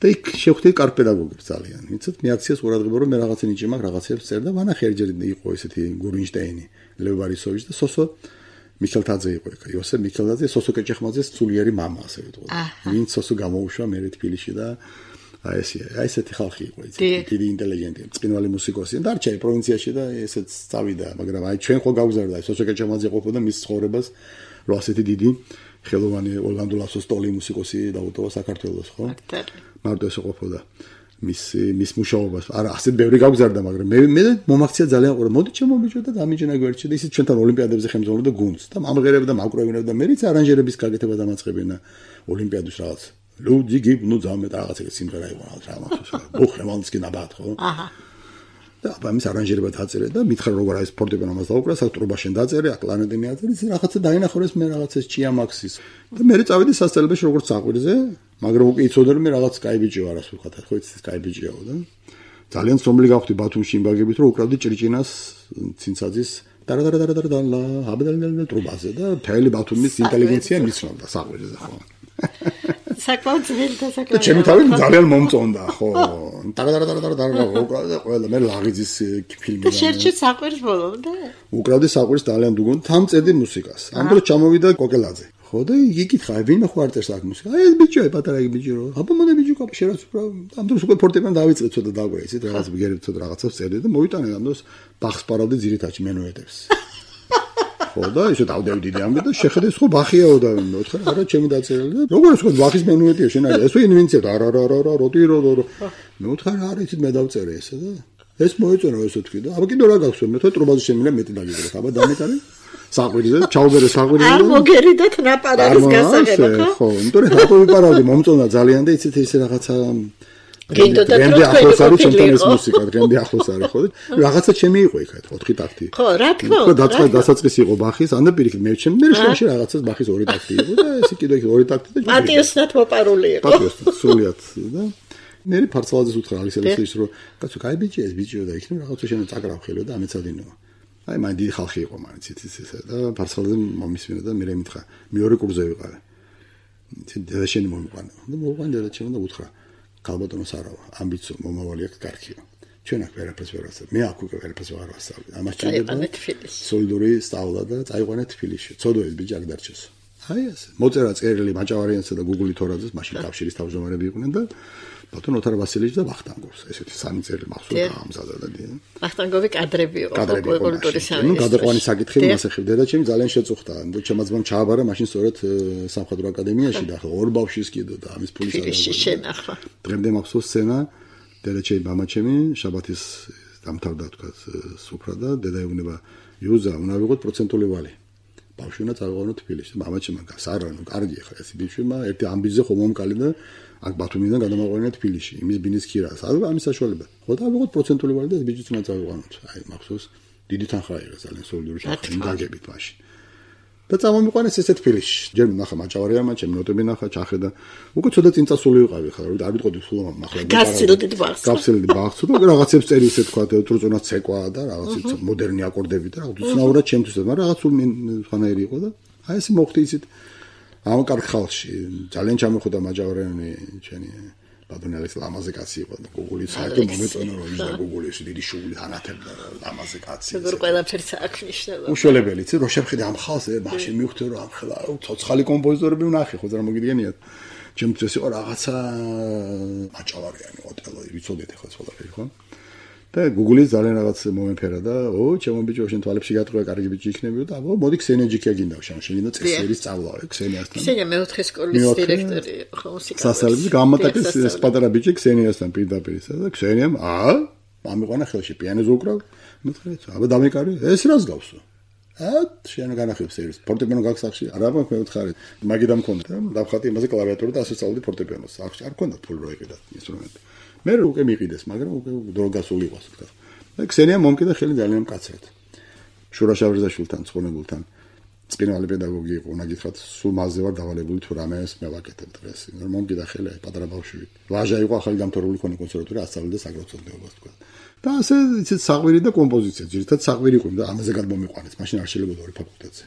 და იქ შევხვდით კარგ პედაგოგებს ძალიან იცით მე აქციას ყურადღება რომ მე რაღაცა ნიჭი მაქვს რაღაცებს წერდა ვანახი ერჯერ იყო ესეთი გურინშტეინი ლევ ვარისოვიჩი და სოსო მიქელთაძე იყო იქ იოსებ მიქელთაძე სოსო კეჭეხმაძეს სულიერი მამა ასე ვიტყოდი ვინც სოსო გამოუშვა მე თბილისში და აი ესე აი ესეთი ხალხი იყო იცი დიდი ინტელიგენტი წინვალი მუსიკოსი და არჩეი პროვინციაში და ესეც წავიდა მაგრამ აი ჩვენ ხო გავგზავნდა აი სოსო კეჭეხმაძე ყოფოდა მის ცხოვრებას რომ ასეთი დიდი ხელოვანი ორლანდო ლასოსტოლი მუსიკოსი დაუტოვა საქართველოს ხო მარტო ესე ყოფოდა მის მის მუშაობას არა ასეთ ბევრი გავგზავნდა მაგრამ მე მე მომაქცია ძალიან ყურა მოდი ჩემო ბიჭო და დამიჯნა გვერდში და ისიც ჩვენთან ოლიმპიადებზე ხელმძღვანელობდა გუნდს და ამღერებდა მაკროვინებდა მე რიც არანჟერების გაკეთება დამაწყებინა ოლიმპიადის რაღაც ლუდი გიბნუ ძამე და რაღაც ეგ სიმღერა იყო რაღაც რა მახსოვს ოხრე მალსკი ნაბათ ხო აჰა და ამის არანჟერება დაწერე და მითხრა როგორ არის ფორტეპიანო ამას დაუკრა საკტრობაშენ დაწერე აკლანეტი მიაწერე ის რაღაცა დაინახორეს მე რაღაცას ჭიამაქსის და მე წავედი სასწავლებელში როგორც საყვირზე მაგრამ უკვე იცოდა რომ მე რაღაც კაი ბიჭი ვარ ასე ვხატა ხო იცით კაი ბიჭიაო და ძალიან სომლი გავხდი ბათუმში იმბაგებით რომ უკრავდი ჭრიჭინას ცინცაძის დარადარადარადარალა აბდალდალ ტრუბაზე და თელი ბათუმის ინტელიგენცია მისვამდა საყვირზე ხო საკმაოდ ძველი და საკმაოდ და ჩემი თავი ძალიან მომწონდა ხო დარადარადარადარალა უკრავდა ყველა მე ლაღიძის ფილმი და შერჩი საყვირს ბოლომდე უკრავდი საყვირს ძალიან დუგონ თან წერდი მუსიკას ამ დროს ჩამოვიდა კოკელაძე ხო და იგი კითხა ვინ ხო არ წერს აქ მუსიკა აი ეს ბიჭო პატარა იგი ბიჭო რო აბა მოდი ბიჭო კაპ შერაც უბრალოდ ამ დროს უკვე ფორტეპიანო დავიწყე ცოტა დაგვე იცით რაღაც ბიგერებ ცოტა რაღაცას წერდი და მოვიტანე ამ დროს ბახს პარავდი ძირითადში მენუეტებს ხო და ისე დავდევდი ამბე და შეხედე ხო ბახიაო და მოთხარ არა ჩემი დაწერილი და როგორ ხო ბახის მენუეტია შენ არის ეს ინვენცია არა არა არა როტი რო მოთხარ არა იცით მე დავწერე ესე და ეს მოეწონა ესე თქვი და აბა კიდე რა გაქვს მე თო ტრუბაზე შემიძლია მეტი დაგიგრეთ აბა დამეტარი საყვირზე ჩაუბერე საყვირზე არ მოგერიდათ ნაპარარის გასაღება ხო ხო იმიტომ რომ რატო ვიპარავდი მომწონდა ძალიან და იცით ესე რაღაცა გინდოდა რომ ახლოს არის ჩემთან ეს მუსიკა დღემდე ახლოს არის ხო რაღაცა ჩემი იყო იქ ოთხი ტაქტი ხო რა თქმა უნდა დაწყე დასაწყისი იყო ბახის ანდა პირიქით მე ჩემ მე შუაში რაღაცას ბახის ორი ტაქტი იყო და ესე კიდე იქ ორი ტაქტი და მატიოსნად მოპარული იყო მატიოსნად სულიად და მე ფარცალაძეს უთხრა ალისელისის რომ კაცო კაი ბიჭი ეს ბიჭიო და იქნებ რაღაცა შენ წაკრავ ხელო და ამეცადინო აი მან დიდი ხალხი იყო მაინც იცით ესა და ფარცალაძე მომისმინა და მე მითხრა მეორე კურსზე ვიყავე იცით და შენ მომიყვანა და მოვიყვანა და ჩემ და უთხრა კალბატონოს არავა ამბიციო მომავალი აქვს კარგია ჩვენ აქ ვერაფერს ვერ ვასწავლებ მე აქ უკვე ვერაფერს ვერ ვასწავლებ ამას ჭირდება სოლიდური სწავლა და წაიყვანე თბილისში ცოდოეს ბიჭი აქ დარჩეს აი ესე მოწერა წერილი მაჭავარიანსა და გუგული თორაძეს მაშინ კავშირის თავმჯდომარეები იყვნენ და ბატონ ოთარ ვასილიჩი და ვახტანგოვს ესეთი სამი წელი მახსოვს ამზადა და ვახტანგოვი კადრები იყო კულტურის სამინისტროში ნუ გადაყვანი საკითხი მას ეხებდა და ჩემი ძალიან შეწუხდა და ჩემაც მომ ჩააბარა მაშინ სწორედ სამხატვრო აკადემიაში და ხო ორ ბავშვის კიდო და ამის ფულის შენახვა დღემდე მახსოვს სცენა დედაჩემი მამაჩემი შაბათის დამთავრდა თქვა სუფრა და დედა ეუბნება იუზა უნდა ვიყოთ პროცენტული ვალი ბავშვი უნდა წავიყვანო თბილისში. მამაჩემ გას არა, ნუ კარგი ხა ეს ბიჭმა ერთი ამბიზზე ხომ მომკალი და აქ ბათუმიდან გადამაყვანია თბილისში. იმის ბინის ქირას. არა ამის საშუალება. ხო და ავიღოთ პროცენტული ვარი და ეს ბიჭიც უნდა წავიყვანოთ. აი მახსოვს დიდი თანხა იყო ძალიან სოლიდური თანხა გაგებით მაშინ. და წამომიყვანეს ესე თბილისში. ჯერ ნახა მაჭავარია მაჩემ ნოტები ნახა ჩახედა. უკვე ცოტა წინ წასული ვიყავი ხა რომ არ ვიტყოდი სულ მახლა. გასცილდით ბაღს. გასცილდი ბაღს და რაღაცებს წერი ისე თქვა თრუწონა ცეკვა და რაღაც მოდერნი აკორდები და რაღაც უცნაურად ჩემთვის მაგრამ რაღაც სულ ხანაერი იყო და აი ესე მოხდი ისეთ ამ კარგ ხალხში ძალიან ჩამოხვდა მაჭავარიანი ჩვენი ბადონელის ლამაზე კაცი იყო და გუგული საერთო მომეწონა რომ ის და გუგული ის დიდი შუღული ანათებდა ლამაზე კაცი როგორ ყველაფერს აქნიშნება უშველებელი იცი რო შევხედე ამ ხალხს მაშინ მივხვდი რომ ამ ხლა ცოცხალი კომპოზიტორები ვნახე ხო ზრა მოგიდგენიათ ჩემთვის იყო რაღაცა მაჭავარიანი ოტელო ვიცოდეთ ახლა ყველაფერი ხო და გუგული ძალიან რაღაც მომეფერა და ო ჩემო ბიჭო შენ თვალებში გატყვია კარგი ბიჭი იქნებიო და აბა მოდი ქსენიაჯიქია გინდა შენ შეგინდა წესერის სწავლა ქსენიასთან ქსენია მეოთხე სკოლის დირექტორი ხო მუსიკალური სასწავლებელი გამატაკის ეს პატარა ბიჭი ქსენიასთან პირდაპირ ისა და ქსენიამ აა მამიყვანა ხელში პიანოზე უკრავ მეთქე აბა დამეკარი ეს რას გავსო ა შენ განახებს ეს ფორტეპიანო გაგსახში არა მაქვს მეთხარი მაგიდამ მქონდა დავხატი იმაზე კლავიატურა და ასე სწავლდი ფორტეპიანოს არ მქონდა ფულ რო იყიდა ინსტრუმენტი მე უკვე მიყიდეს, მაგრამ უკვე დრო გასული იყო, ასე ვთქვა. და ქსენია მომკიდა ხელი ძალიან მკაცრად. შურა შავრიზაშვილთან, ცხონებულთან. წინვალი პედაგოგი იყო, უნდა გითხრათ, სულ მასზე ვარ დავალებული თუ რამეს მე ვაკეთებ დღეს. მომკიდა ხელი პატარა ბავშვი. ვაჟა იყო, ახალი გამთორებული ქონი კონსერვატორია, ასწავლიდა საგრაფიკოს თქვა. და ასე იცით საყვირი და კომპოზიცია, ძირითადად საყვირი იყო და ამაზე გადმომიყვანეს, მაშინ არ შეიძლება ორი ფაკულტეტზე.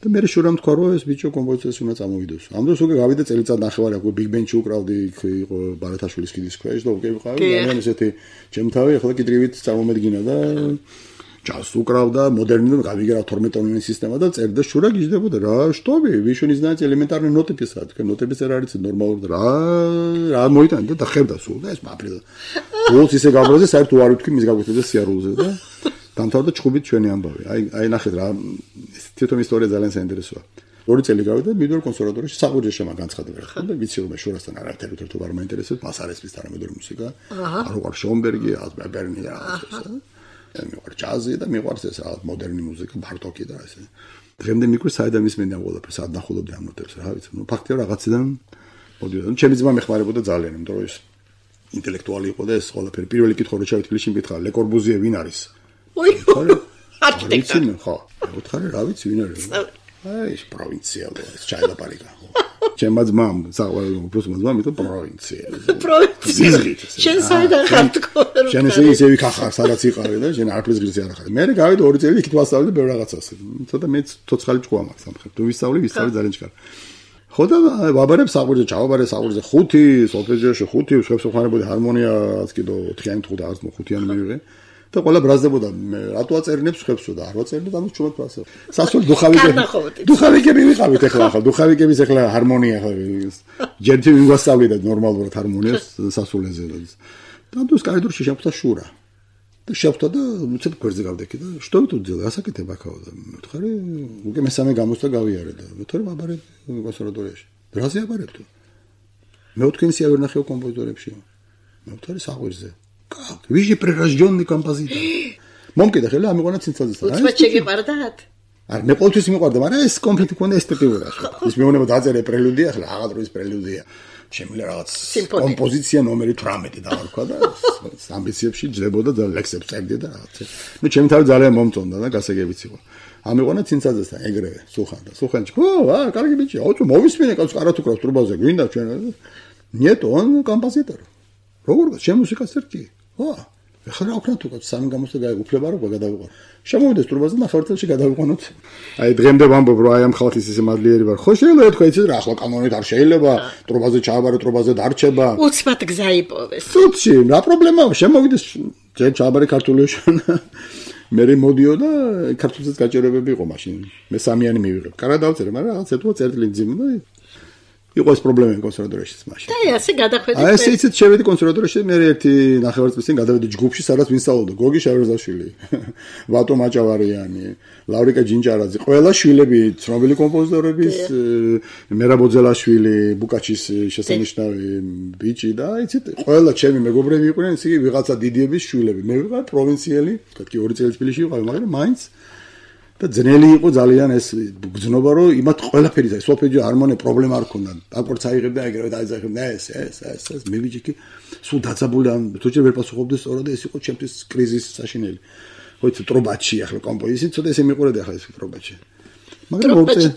და მე შურამ თქვა რომ ეს ბიჭო კომპოზიციას უნდა წამოვიდოს. ამ დროს უკვე გავიდა წელიწად ნახევარი, უკვე ბიგ ბენჩი უკრავდი, იყო ბარათაშვილის კიდის ქვეშ და უკვე ვიყავი ძალიან ესეთი ჩემთავი, ახლა კი დრივით წამომედგინა და ჯაზს უკრავდა, მოდერნი და გავიგერავ თორმეტ ტონიანი სისტემა და წერდა შურა გიждდებოდა რა, შტობი, ვიშო не знаете элементарные ноты писать, că ноты писать არის ნორმალური რა, რა მოიტანდა და ხებდა სულ და ეს მაფრიდა. უოლს ისე გაბრაზე, საერთოდ არ ვთქვი მის გაგვიწევდა სიარულზე და დამთავრდა ჩხუბით ჩვენი ამბავი. აი აი ნახეთ რა თვითონ ისტორია ძალიან საინტერესოა. ორი წელი გავიდა მიდორ კონსერვატორიაში საყვირზე შემა განცხადება ხო და ვიცი რომ შურასთან არ ერთად ერთად არ მაინტერესებს მას არ ესმის თანამედროვე მუსიკა. არ უყარ შონბერგი, ასბერნი რა ასე. და მიყვარ ჯაზი და მიყვარს ეს რა მოდერნი მუსიკა, ბარტოკი და ესე. დღემდე მიყვარს საერთოდ ისმენია ყველაფერს, სად ნახულობდი ამ ნოტებს რა ვიცი. ნუ ფაქტია რაღაციდან მოდიოდა. ჩემი ძმა მეხმარებოდა ძალიან, იმიტომ რომ ეს ინტელექტუალი იყო და ეს ყველაფერი პირველი კითხვა რო ჩავით თბილისში მკითხა, ლე კორბუზიე ვინ არის? ой არქიტექტორი ხო უთხარი რა ვიცი ვინ არის აი ეს პროვინცია ეს ჩაილაპარიკა ჩემმა ძმამ საყვარელი უბრალოდ ძმამ იტო პროვინცია პროვინცია შენ საიდან ხარ თქო შენ ესე ისე ვიქახარ სადაც იყავი და შენ არაფერს გრძი არ ახარ მე გავიდე ორი წელი იქით ვასწავლე ბევრ რაღაცას ცოტა მე ცოცხალი ჭკუა მაქვს სამხრეთ თუ ვისწავლე ვისწავლე ძალიან ჭკარ ხო და ვაბარებ საყვირზე ჩავაბარე საყვირზე ხუთი სოლფეჯიოში ხუთი შევსო ხარებოდი ჰარმონიას კიდო ოთხიანი თუ და არც ხუთიანი მივიღე და ყველა ბრაზდებოდა მე რატო აწერინებს ხებსო და არ ვაწერინებ ამის ჩუმად ფასე სასწორ დუხავიკები დუხავიკები ვიყავით ახლა ახლა დუხავიკების ახლა ჰარმონია ახლა ჯერჯერ ვიგვასწავლიდა ნორმალურად ჰარმონიას სასულეზე და ამას კაიდურში შეხვდა შურა და შეხვდა და უცებ გვერდზე გავდექი და შტო ვიტუძე ასაკეთებ აქაო და მეთქარი უკვე მესამე გამოსვლა გავიარე და მეთქარი ვაბარე კონსერვატორიაში ბრაზი აბარებ თუ მე ოთხინსი არ ნახევ კომპოზიტორებში მეთქარი საყვირზე Как? Вы же прирожденный композитор. Მომკიდა ხელი ამიყვანა ცინცაძესთან. უცბად შეგეყარდათ? არ მე ყოველთვის მიყვარდა, მაგრამ ეს კომპლეტი კონე ესთეტიკურა. ის მეუბნება დაწერე პრელუდია, ახლა აღარ ის პრელუდია. შემიძლია რაღაც კომპოზიცია ნომერი თვრამეტი დავარქვა და ამბიციებში ჯდებოდა და ლექსებს წერდი და რაღაც. მე ჩემი თავი ძალიან მომწონდა და გასაგებიც იყო. ამიყვანა ცინცაძესთან ეგრევე, სულხან და სულხანჩი. ო, აა, კარგი ბიჭი, აუწო მოვისმინე კაცს კარათ უკრავს ტრუბაზე, გვინდა ჩვენ. Нет, он композитор. როგორ ჩემ მუსიკას წერტი? ო, ეხლა რა ვქნათ უკაც სამი გამოსვლა გაიგუფლება რომ გადავიყვანო. შემოვიდეს ტრუბაზე ნახევარ წელში გადავიყვანოთ. აი დღემდე ვამბობ რომ აი ამ ხალხის ისე მადლიერი ვარ. ხო შეიძლება თქვა იცით რა ახლა კანონით არ შეიძლება ტრუბაზე ჩააბარო ტრუბაზე დარჩება. უცბად გზა იპოვეს. სუცი, რა პრობლემაა? შემოვიდეს ჯერ ჩააბარე ქართულიაში. მე მოდიო და ქართულსაც გაჭირებები იყო მაშინ. მე სამიანი მივიღებ. კარგად დავწერე, მაგრამ რაღაც ეთუა წერტილი ძიმ და იყო ეს პრობლემა კონსერვატორიაში მაშინ. და ასე გადახვედი. აი ესე იცით შევედი კონსერვატორიაში მე ერთი ნახევარ წლის წინ გადავედი ჯგუფში სადაც ვინ სწავლობდა გოგი შავერზაშვილი, ვატო მაჭავარიანი, ლავრიკა ჯინჯარაძე, ყველა შვილები ცნობილი კომპოზიტორების, მერაბ ოძელაშვილი, ბუკაჩის შესანიშნავი ბიჭი და იცით ყველა ჩემი მეგობრები იყვნენ ისე ვიღაცა დიდიების შვილები. მე ვიყავ პროვინციელი, თქვა ორი წელი თბილისში ვიყავი, მაგრამ მაინც და ძნელი იყო ძალიან ეს გზნობა რომ იმათ ყველაფერი ეს სოფეჯი არ მონე პრობლემა არ ქონდა აკორც აიღებდა ეგრევე დაიძახებდა ეს ეს ეს ეს მე ვიჯიკი სულ დაცაბული ან თუჯერ ვერ პასუხობდი სწორად ეს იყო ჩემთვის კრიზისი საშინელი ხო იცი ტრობაჩი ახლა კომპოზიცია ცოტა ესე მიყურეთ ახლა ეს ტრობაჩი მაგრამ მოწე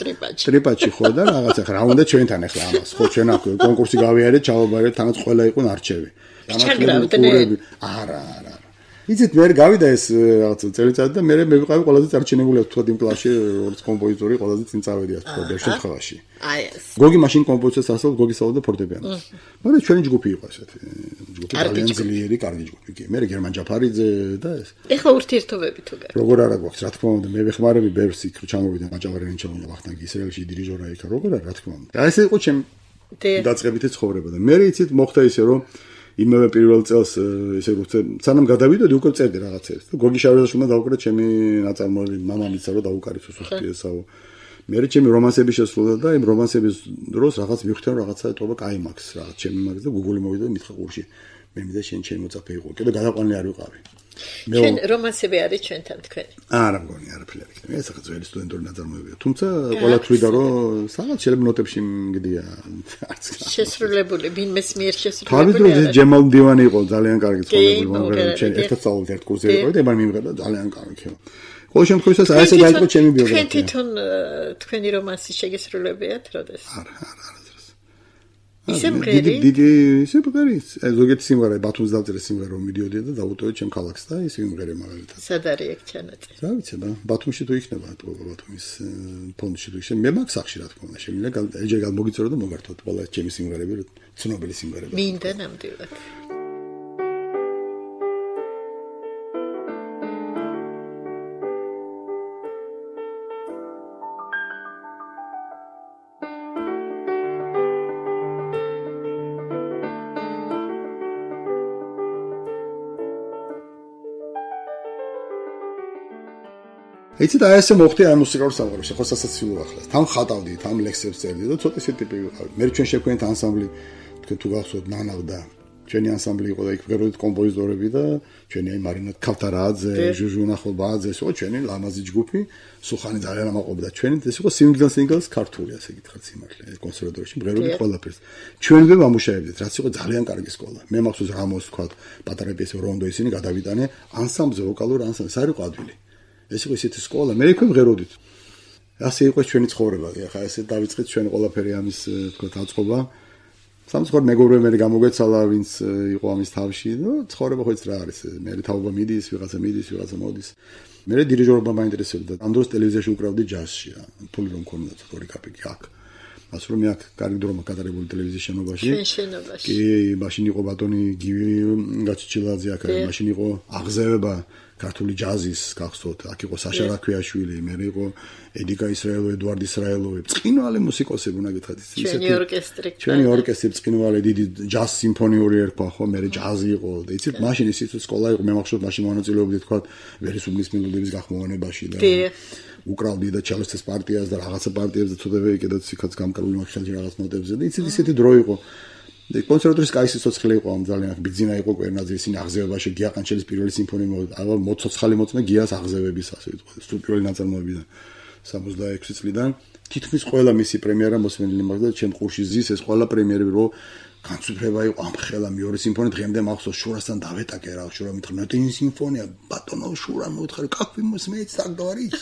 ტრიბაჩი ხო და რაღაც ახლა რა უნდა ჩვენთან ახლა ამას ხო ჩვენ აქ კონკურსი გავიარეთ ჩავაბარეთ თანაც ყველა იყო ნარჩევი არა არა იცით მე გავიდა ეს რაღაც წელიწადი და მე მე ვიყავი ყველაზე წარჩინებული თქვა იმ კლასში როგორც კომპოზიტორი ყველაზე წინ წავედი ასე თქვა შემთხვევაში აი ეს გოგი მაშინ კომპოზიციას ასწავლ გოგი სწავლობდა ფორტეპიანოს მაგრამ ჩვენი ჯგუფი იყო ესეთი ჯგუფი ძალიან ძლიერი კარგი ჯგუფი კი მე გერმან ჯაფარიძე და ეს ეხლა ურთიერთობები თუ გარ როგორ არა გვაქვს რა თქმა უნდა მე ვეხმარები ბერს იქ რო ჩამოვიდა მაჭავარიანი ჩამოვიდა ვახტანგი ისრაელში დირიჟორა იქა როგორ არა რა თქმა უნდა და ეს იყო ჩემ დაწყებითი ცხოვრება და მე იცით მოხდა ისე რომ იმავე პირველ წელს ესე როცა სანამ გადავიდოდი უკვე წერდი რაღაცებს და გოგი შარვეზაშვილმა დაუკრა ჩემი ნაწარმოები მამამიცა რომ დაუკარიცო სუსტიესაო მე ჩემი რომანსები შესრულდა და იმ რომანსების დროს რაღაც მივხვდი რომ რაღაცა ეტყობა კაი მაქვს რაღაც ჩემი მაგის და გუგული მოვიდა და მითხრა ყურში მე მინდა შენ ჩემი მოწაფე იყო კიდე გადაყვანილი არ ვიყავი ჩვენ რომანსები არის ჩვენთან თქვენი არა მგონი არაფერი არ იქნება ეს ახლა ძველი სტუდენტური ნაწარმოებია თუმცა ყველა თვლიდა რომ სადღაც შეიძლება ნოტებში მგდია არც შესრულებული ვინმეს მიერ შესრულებული თავის დროზე ჯემალ მდივანი იყო ძალიან კარგი ცხოვრებული მაგრამ ჩვენ ერთად სწავლობთ ერთ კურსზე იყო და ემარ მიმღება ძალიან კარგი ხო ყოველ შემთხვევაში აი ესე დაიწყო ჩემი ბიოგრაფია თქვენ თვითონ თქვენი რომანსი შეგესრულებიათ როდეს არა არა ისე მღერი დიდი ისე მღერი ზოგიერთი სიმღერა ბათუმის დავწერე სიმღერა რომ მიდიოდი და დავუტოვე ჩემ ქალაქს და ისე მღერი მაგალითად სად არის ეგ ჩანაწერი რა ვიცი და ბათუმში თუ იქნება ბათუმის ფონდში თუ იქნება მე მაგ სახში რა თქმა უნდა შემიძლია ეჯერ გამოგიწორო და მოგართოთ ყველა ჩემი სიმღერები ცნობილი სიმღერები მინდა ნამდვილად იცით აი ესე მოხდი აი მუსიკალურ სამყაროში ხო სასაცილო ახლა თან ხატავდი თან ლექსებს წერდი და ცოტა ისეთი ტიპი ვიყავი მე ჩვენ შეგვენთ ანსამბლი თქვენ თუ გახსოვთ ნანავდა ჩვენი ანსამბლი იყო და იქ ვღეროდით კომპოზიტორები და ჩვენი აი მარინა ქავთარაძე ჟუჟუნა ხობაძე ეს იყო ჩვენი ლამაზი ჯგუფი სუხანი ძალიან ამაყობდა ჩვენი ეს იყო სინგლს სინგლს ქართული ასე გითხრათ სიმართლე კონსერვატორიაში ვღეროდით ყველაფერს ჩვენვე ვამუშავებდით რაც იყო ძალიან კარგი სკოლა მე მახსოვს რამოს თქვა პატარა პიესო რონდო ისინი გადავიტანე ანსამბლზე ვოკალურ ანსამბლს არ იყო ადვილი ეს იყო ისეთი სკოლა მე იქვე ვღეროდით ასე იყო ჩვენი ცხოვრება ახლა ესე დავიწყეთ ჩვენ ყველაფერი ამის თქვა დაწყობა სამწუხაროდ მეგობრები მე გამოგვეცალა ვინც იყო ამის თავში და ცხოვრება ხო იცი რა არის მე თავობა მიდის ვიღაცა მიდის ვიღაცა მოდის მე დირიჟორობა მაინტერესებდა ამ დროს ტელევიზიაში უკრავდი ჯაზში რა ფული რომ მქონდა ორი კაპიკი აქ ასე რომ მე აქ კარგი დრომა გადარებული ტელევიზიის შენობაში შენობაში კი მაშინ იყო ბატონი გივი გაჩიჩილაძე აქ მაშინ იყო აღზევება ქართული ჯაზის გახსოვთ აქ იყო საშა რაქვიაშვილი მე იყო ედიკა ისრაელო ედვარდ ისრაელოვი წინვალე მუსიკოსები უნდა გითხრათ ჩვენი ორკესტრი ჩვენი ორკესტრი წინვალე დიდი ჯაზ სიმფონიური ერქვა ხო მე ჯაზი იყო და იცით მაშინ ისიც სკოლა იყო მე მახსოვს მაშინ მონაწილეობდი თქვა ვერისუბლის მელოდიების გახმოვანებაში და უკრავდი და ჩელოსის პარტიას და რაღაცა პარტიებს და ცოტა კიდე ციკაც გამკარული მაგშალში რაღაც ნოტებზე და იცით ისეთი დრო იყო კონსერვატორიის კაისი სოცხლე იყო ამ ძალიან ბიძინა იყო კვერნაძე ისინი აღზევებაში გია ყანჩელის პირველი სიმფონია მოვიდა მოცოცხალი მოწმე გიას აღზევების ასე ვიტყვი სტუდიური ნაწარმოებიდან სამოცდაექვსი წლიდან თითქმის ყველა მისი პრემიერა მოსმენილი მაქვს და ჩემ ყურში ზის ეს ყველა პრემიერები რო განსუფრება იყო ამ ხელა მეორე სიმფონია დღემდე მახსოვს შურასთან დავეტაკე რა შურა მითხრა ნოტი სიმფონია ბატონო შურა მოთხარი как вы смеете так говорить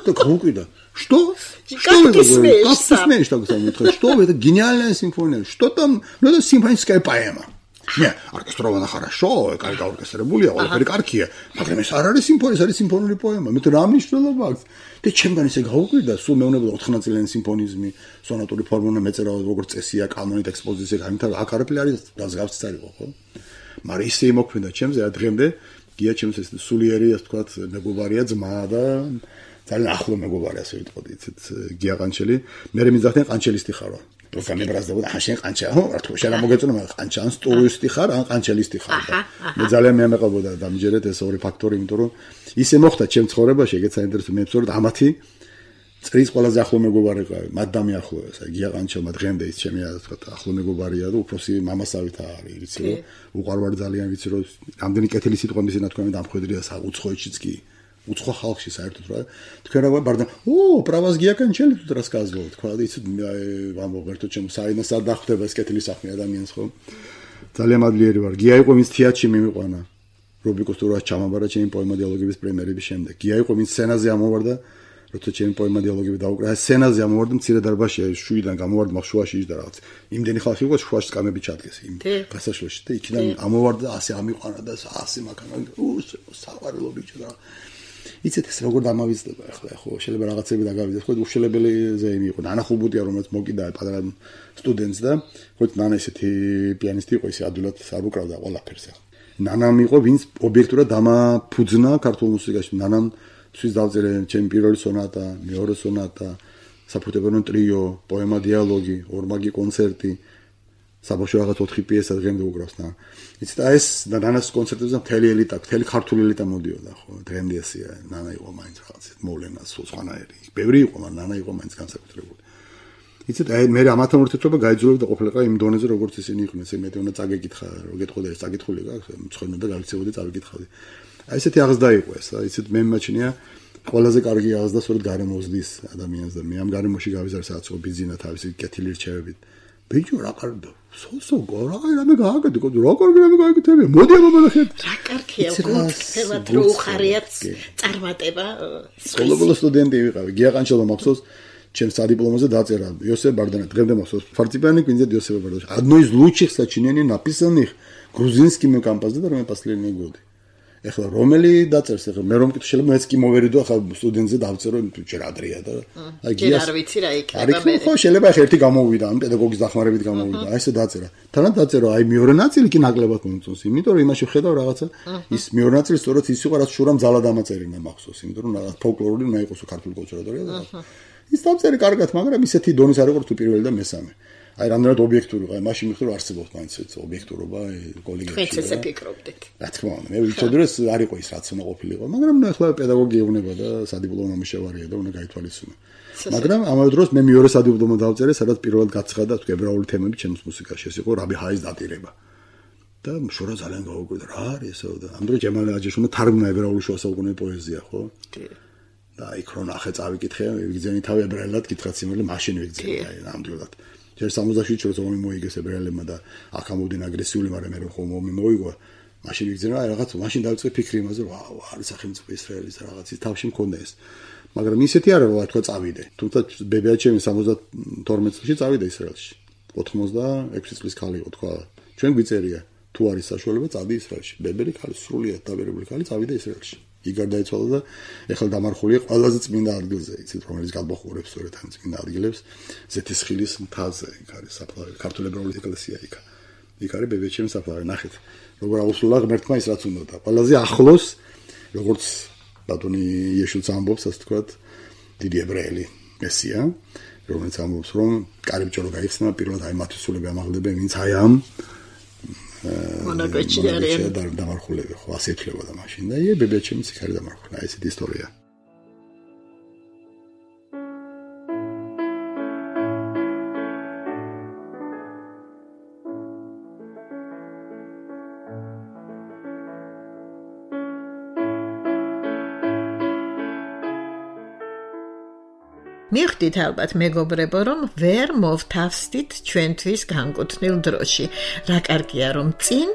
да круто что что ты смеешь как ты смеешь так говорить что это гениальная симфония что там ну это симфоническая поэма не оркестрована хорошо კარგი ორკესტრებულია ყველაფერი კარგია მაგრამ ეს არ არის სიმფონია არის სიმფონიური პოემა მე რა მნიშვნელობა აქვს და ჩემგან ისე გაუკვირდა სულ მეუბნება ოთხნაწილიანი სიმფონიზმი სონატური ფორმულა მეწერა როგორც წესია კანონით ექსპოზიცია გამითა აქ არაფერი არის გასგავსიც არ იყო ხო მაგრამ ისე იმოქმედა ჩემზე რა დღემდე გია ჩემს ეს სულიერი ასე ვთქვათ მეგობარია ძმა და ძალიან ახლო მეგობარი ასე ვიტყოდი იცით გია ყანჩელი მე მიძახდნენ ყანჩელისტი ხარო პროგრამი ბრაზდება ახლა შენ ყანჩა ხო რა თქმა უნდა მოგეწონა მაგრამ ყანჩა ან სტურისტი ხარ ან ყანჩელისტი ხარ და მე ძალიან მეამეყებოდა დამიჯერეთ ეს ორი ფაქტორი იმიტომ რომ ისე მოხდა ჩემ ცხოვრებაში ეგეც საინტერესო მე ვცხოვრობ ამათი წრის ყველაზე ახლო მეგობარი ყავი მათ დამიახლოვეს აი გია ყანჩელმა დღემდე ის ჩემი ასე ვთქვათ ახლო მეგობარია და უფროსი მამასავით არის ვიცი რომ უყარვარ ძალიან ვიცი რომ რამდენი კეთილი სიტყვა მისი ნათქვამი დამხვედრია საუცხოეთშიც კი უცხო ხალხში საერთოდ რა თქვენ რა ბარდა ო правас გიაკანჩელი თუ рассказывал თქვა და იცით ამ ვერტო ჩემ საინას არ დახვდება ეს კეთილი საქმე ადამიანს ხო ძალიან მადლიერი ვარ გია იყო ვინც თეატრში მიმიყვანა რუბიკოს თურას ჩამაბარა ჩემი პოემა დიალოგების პრემიერების შემდეგ გია იყო ვინც სცენაზე ამოვარდა როცა ჩემი პოემა დიალოგები დაუკრა სცენაზე ამოვარდა მცირე დარბაზში შუიდან გამოვარდა მაგ შუაში ის და რაღაც იმდენი ხალხი იყო შუაში კამები ჩადგეს იმ გასაშლოში და იქიდან ამოვარდა ასე ამიყვანა და ასე მაგანა უსო საყვარელო ბიჭო და იცით ეს როგორ დამავიწყდება ახლა ხო შეიძლება რაღაცები დაგავიდეს ხო უშელებელზე იყო ნანა ხუბუტია რომელიც მოკიდა პატარა სტუდენტს და ხო ნანა ესეთი პიანისტი იყო ისე ადვილად არ უკრავდა ყველაფერს ახლა ნანამ იყო ვინც ობიექტურად დამაფუძნა ქართულ მუსიკაში ნანამ თვის დავწერე ჩემი პირველი სონატა მეორე სონატა საფორტეპიანო ტრიო პოემა დიალოგი ორმაგი კონცერტი საბავშვო რაღაც ოთხი პიესა დღემდე უკრავს და იცით ეს ნანას კონცერტებზე მთელი ელიტა მთელი ქართული ელიტა მოდიოდა ხო დღემდე ასეა ნანა იყო მაინც რაღაც მოვლენა სულ სხვანაირი ბევრი იყო მაგრამ ნანა იყო მაინც განსაკუთრებული იცით აი მე ამათან ურთიერთობა გაიძულებდა ყოფილიყო იმ დონეზე როგორც ისინი იყვნენ ესე მეტი უნდა წაგეკითხა რო გეტყოდა ეს წაკითხული გაქვს მცხენა და გავიქცეოდი წავიკითხავდი აი ესეთი აღზრდა იყო ეს აი იცით მე მიმაჩნია ყველაზე კარგი აღზრდა სწორედ გარემოზლის ადამიანს და მე ამ გარემოში გავიზარდე სადაც ობიძინა თავისი კეთილი რჩევებით ბიჭო რა კარგია სოსო გორა რამე გააკეთე რა კარგი რამე გააკეთე მოდი აბა ნახეთ რა კარგია გულწრფელად რო უხარიათ წარმატება სკოლობოლო სტუდენტი ვიყავი გიაყანჩელო მახსოვს чем садипломაზე დაწერა იოსებ ბარდანა დღემდე მახსოვს фортепиано квинтет Иосифа Бардаши одно из лучших сочинений написанных грузинскими композиторами последние годы ეხლა რომელი დაწერს ეხლა მე რომ კითხე შეიძლება მეც კი მოვერიდო ახლა სტუდენტზე დავწერო ჯერ ადრეა და აი გიას არ ვიცი რა იქნება მე ხო შეიძლება ახლა ერთი გამოვიდა ამ პედაგოგის დახმარებით გამოვიდა აი ესე დაწერა თანაც დაწერო აი მეორე ნაწილი კი ნაკლებად მომწონს იმიტომ რომ იმაში ვხედავ რაღაცა ის მეორე ნაწილი სწორედ ის იყო რაც შურამ ძალა დამაწერინა მახსოვს იმიტომ რომ რაღაც ფოლკლორული უნდა იყოსო ქართული კონსერვატორია და ის დავწერე კარგად მაგრამ ისეთი დონის არ იყო თუ პირველი და მესამე აი რამდენად ობიექტური ვიყავ, მაშინ მიხდი რომ არსებობს მაინც ეს ობიექტურობა კოლეგებში. თქვენც ესე ფიქრობდით. რა თქმა უნდა, მე ვიცოდი რომ ეს არ იყო ის რაც უნდა ყოფილიყო, მაგრამ ახლა პედაგოგი ეუბნება და სადიპლომო მუშავარია და უნდა გაითვალისწინო. მაგრამ ამავე დროს მე მეორე სადიპლომო დავწერე, სადაც პირველად გაცხადა თუ ებრაული თემები ჩემს მუსიკაში, ეს იყო რაბი ჰაის დატირება. და შორა ძალიან გაუკვირდა, რა არის ესო და ამ დროს ჯემალ აჯაშუნა თარგმნა ებრაული შუა საუკუნეების პოეზია, ხო? და იქ რო ნახე წავიკითხე, ვიგზენი თავი ებრაელად კითხა სიმართლე მაშინ ვიგზენი, აი ნამდვილად. ჯერ სამოცდაშვიდში როცა მომი მოიგეს ებრაელებმა და აქ ამოვდნენ აგრესიული, მაგრამ მე რომ ხომ მომი მოიგო, მაშინ ვიგზენა აი რაღაც, მაშინ დავიწყე ფიქრი იმაზე, რა არის სახელმწიფო ისრაელის რაღაცის თავში მქონდა ეს. მაგრამ ისეთი არა რა თქვა წავიდე. თუმცა ბებიაჩემი სამოცდათორმეტ წელს წავიდა ისრაელში. ოთხმოცდაექვსი წლის ქალი იყო თქვა. ჩვენ გვიწერია თუ არის საშუალება წავიდე ისრაელში. ბებერი ქალი სრულიად დაბერებული ქალი წავიდა ისრაელში. იგარ დაიცვალა და ეხლა დამარხულია ყველაზე წმინდა ადგილზე, იცით, რომელიც გადმოხურებს სწორედ ამ წმინდა ადგილებს, ზეთისხილის მთაზე, იქ არის საფლავი, ქართული ებრაული ეკლესია იქ. იქ არის ბებიაჩემის საფლავი, ნახეთ. როგორ აუსულა ღმერთმა ის რაც უნდა და ყველაზე ახლოს, როგორც ბატონი იესოც ამბობს, ასე ვთქვათ, დიდი ებრაელი მესია, რომელიც ამბობს, რომ კარიბჭე რო გაიხსნა, პირველად აი მათი სულები ამაღლებენ, ვინც აი ამ მონაგოჩი არიან და დამარხულები ხო ასე ეთქლებოდა მაშინ და ე ბებიაჩემიც იქ არის დამარხული აი ესეთი ისტორია მიხდით ალბათ მეგობრებო რომ ვერ მოვთავსდით ჩვენთვის განკუთვნილ დროში რა კარგია რომ წინ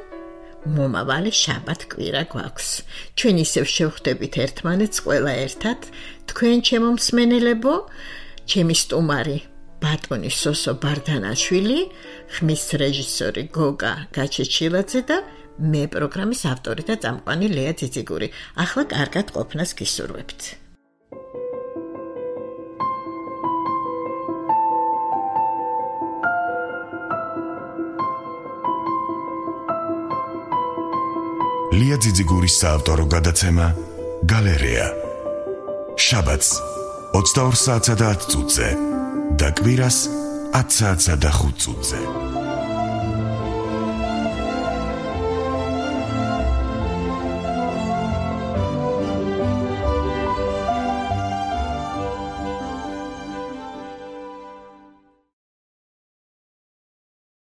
მომავალი შაბათ კვირა გვაქვს ჩვენ ისევ შევხვდებით ერთმანეთს ყველა ერთად თქვენ ჩემო მსმენელებო ჩემი სტუმარი ბატონი სოსო ბარდანაშვილი ხმის რეჟისორი გოგა გაჩეჩილაძე და მე პროგრამის ავტორი და წამყვანი ლეა ძიძიგური ახლა კარგად ყოფნას გისურვებთ ლია ძიძიგურის საავტორო გადაცემა გალერეა შაბათს ოცდაორ საათსა და ათ წუთზე და კვირას ათ საათსა და ხუთ წუთზე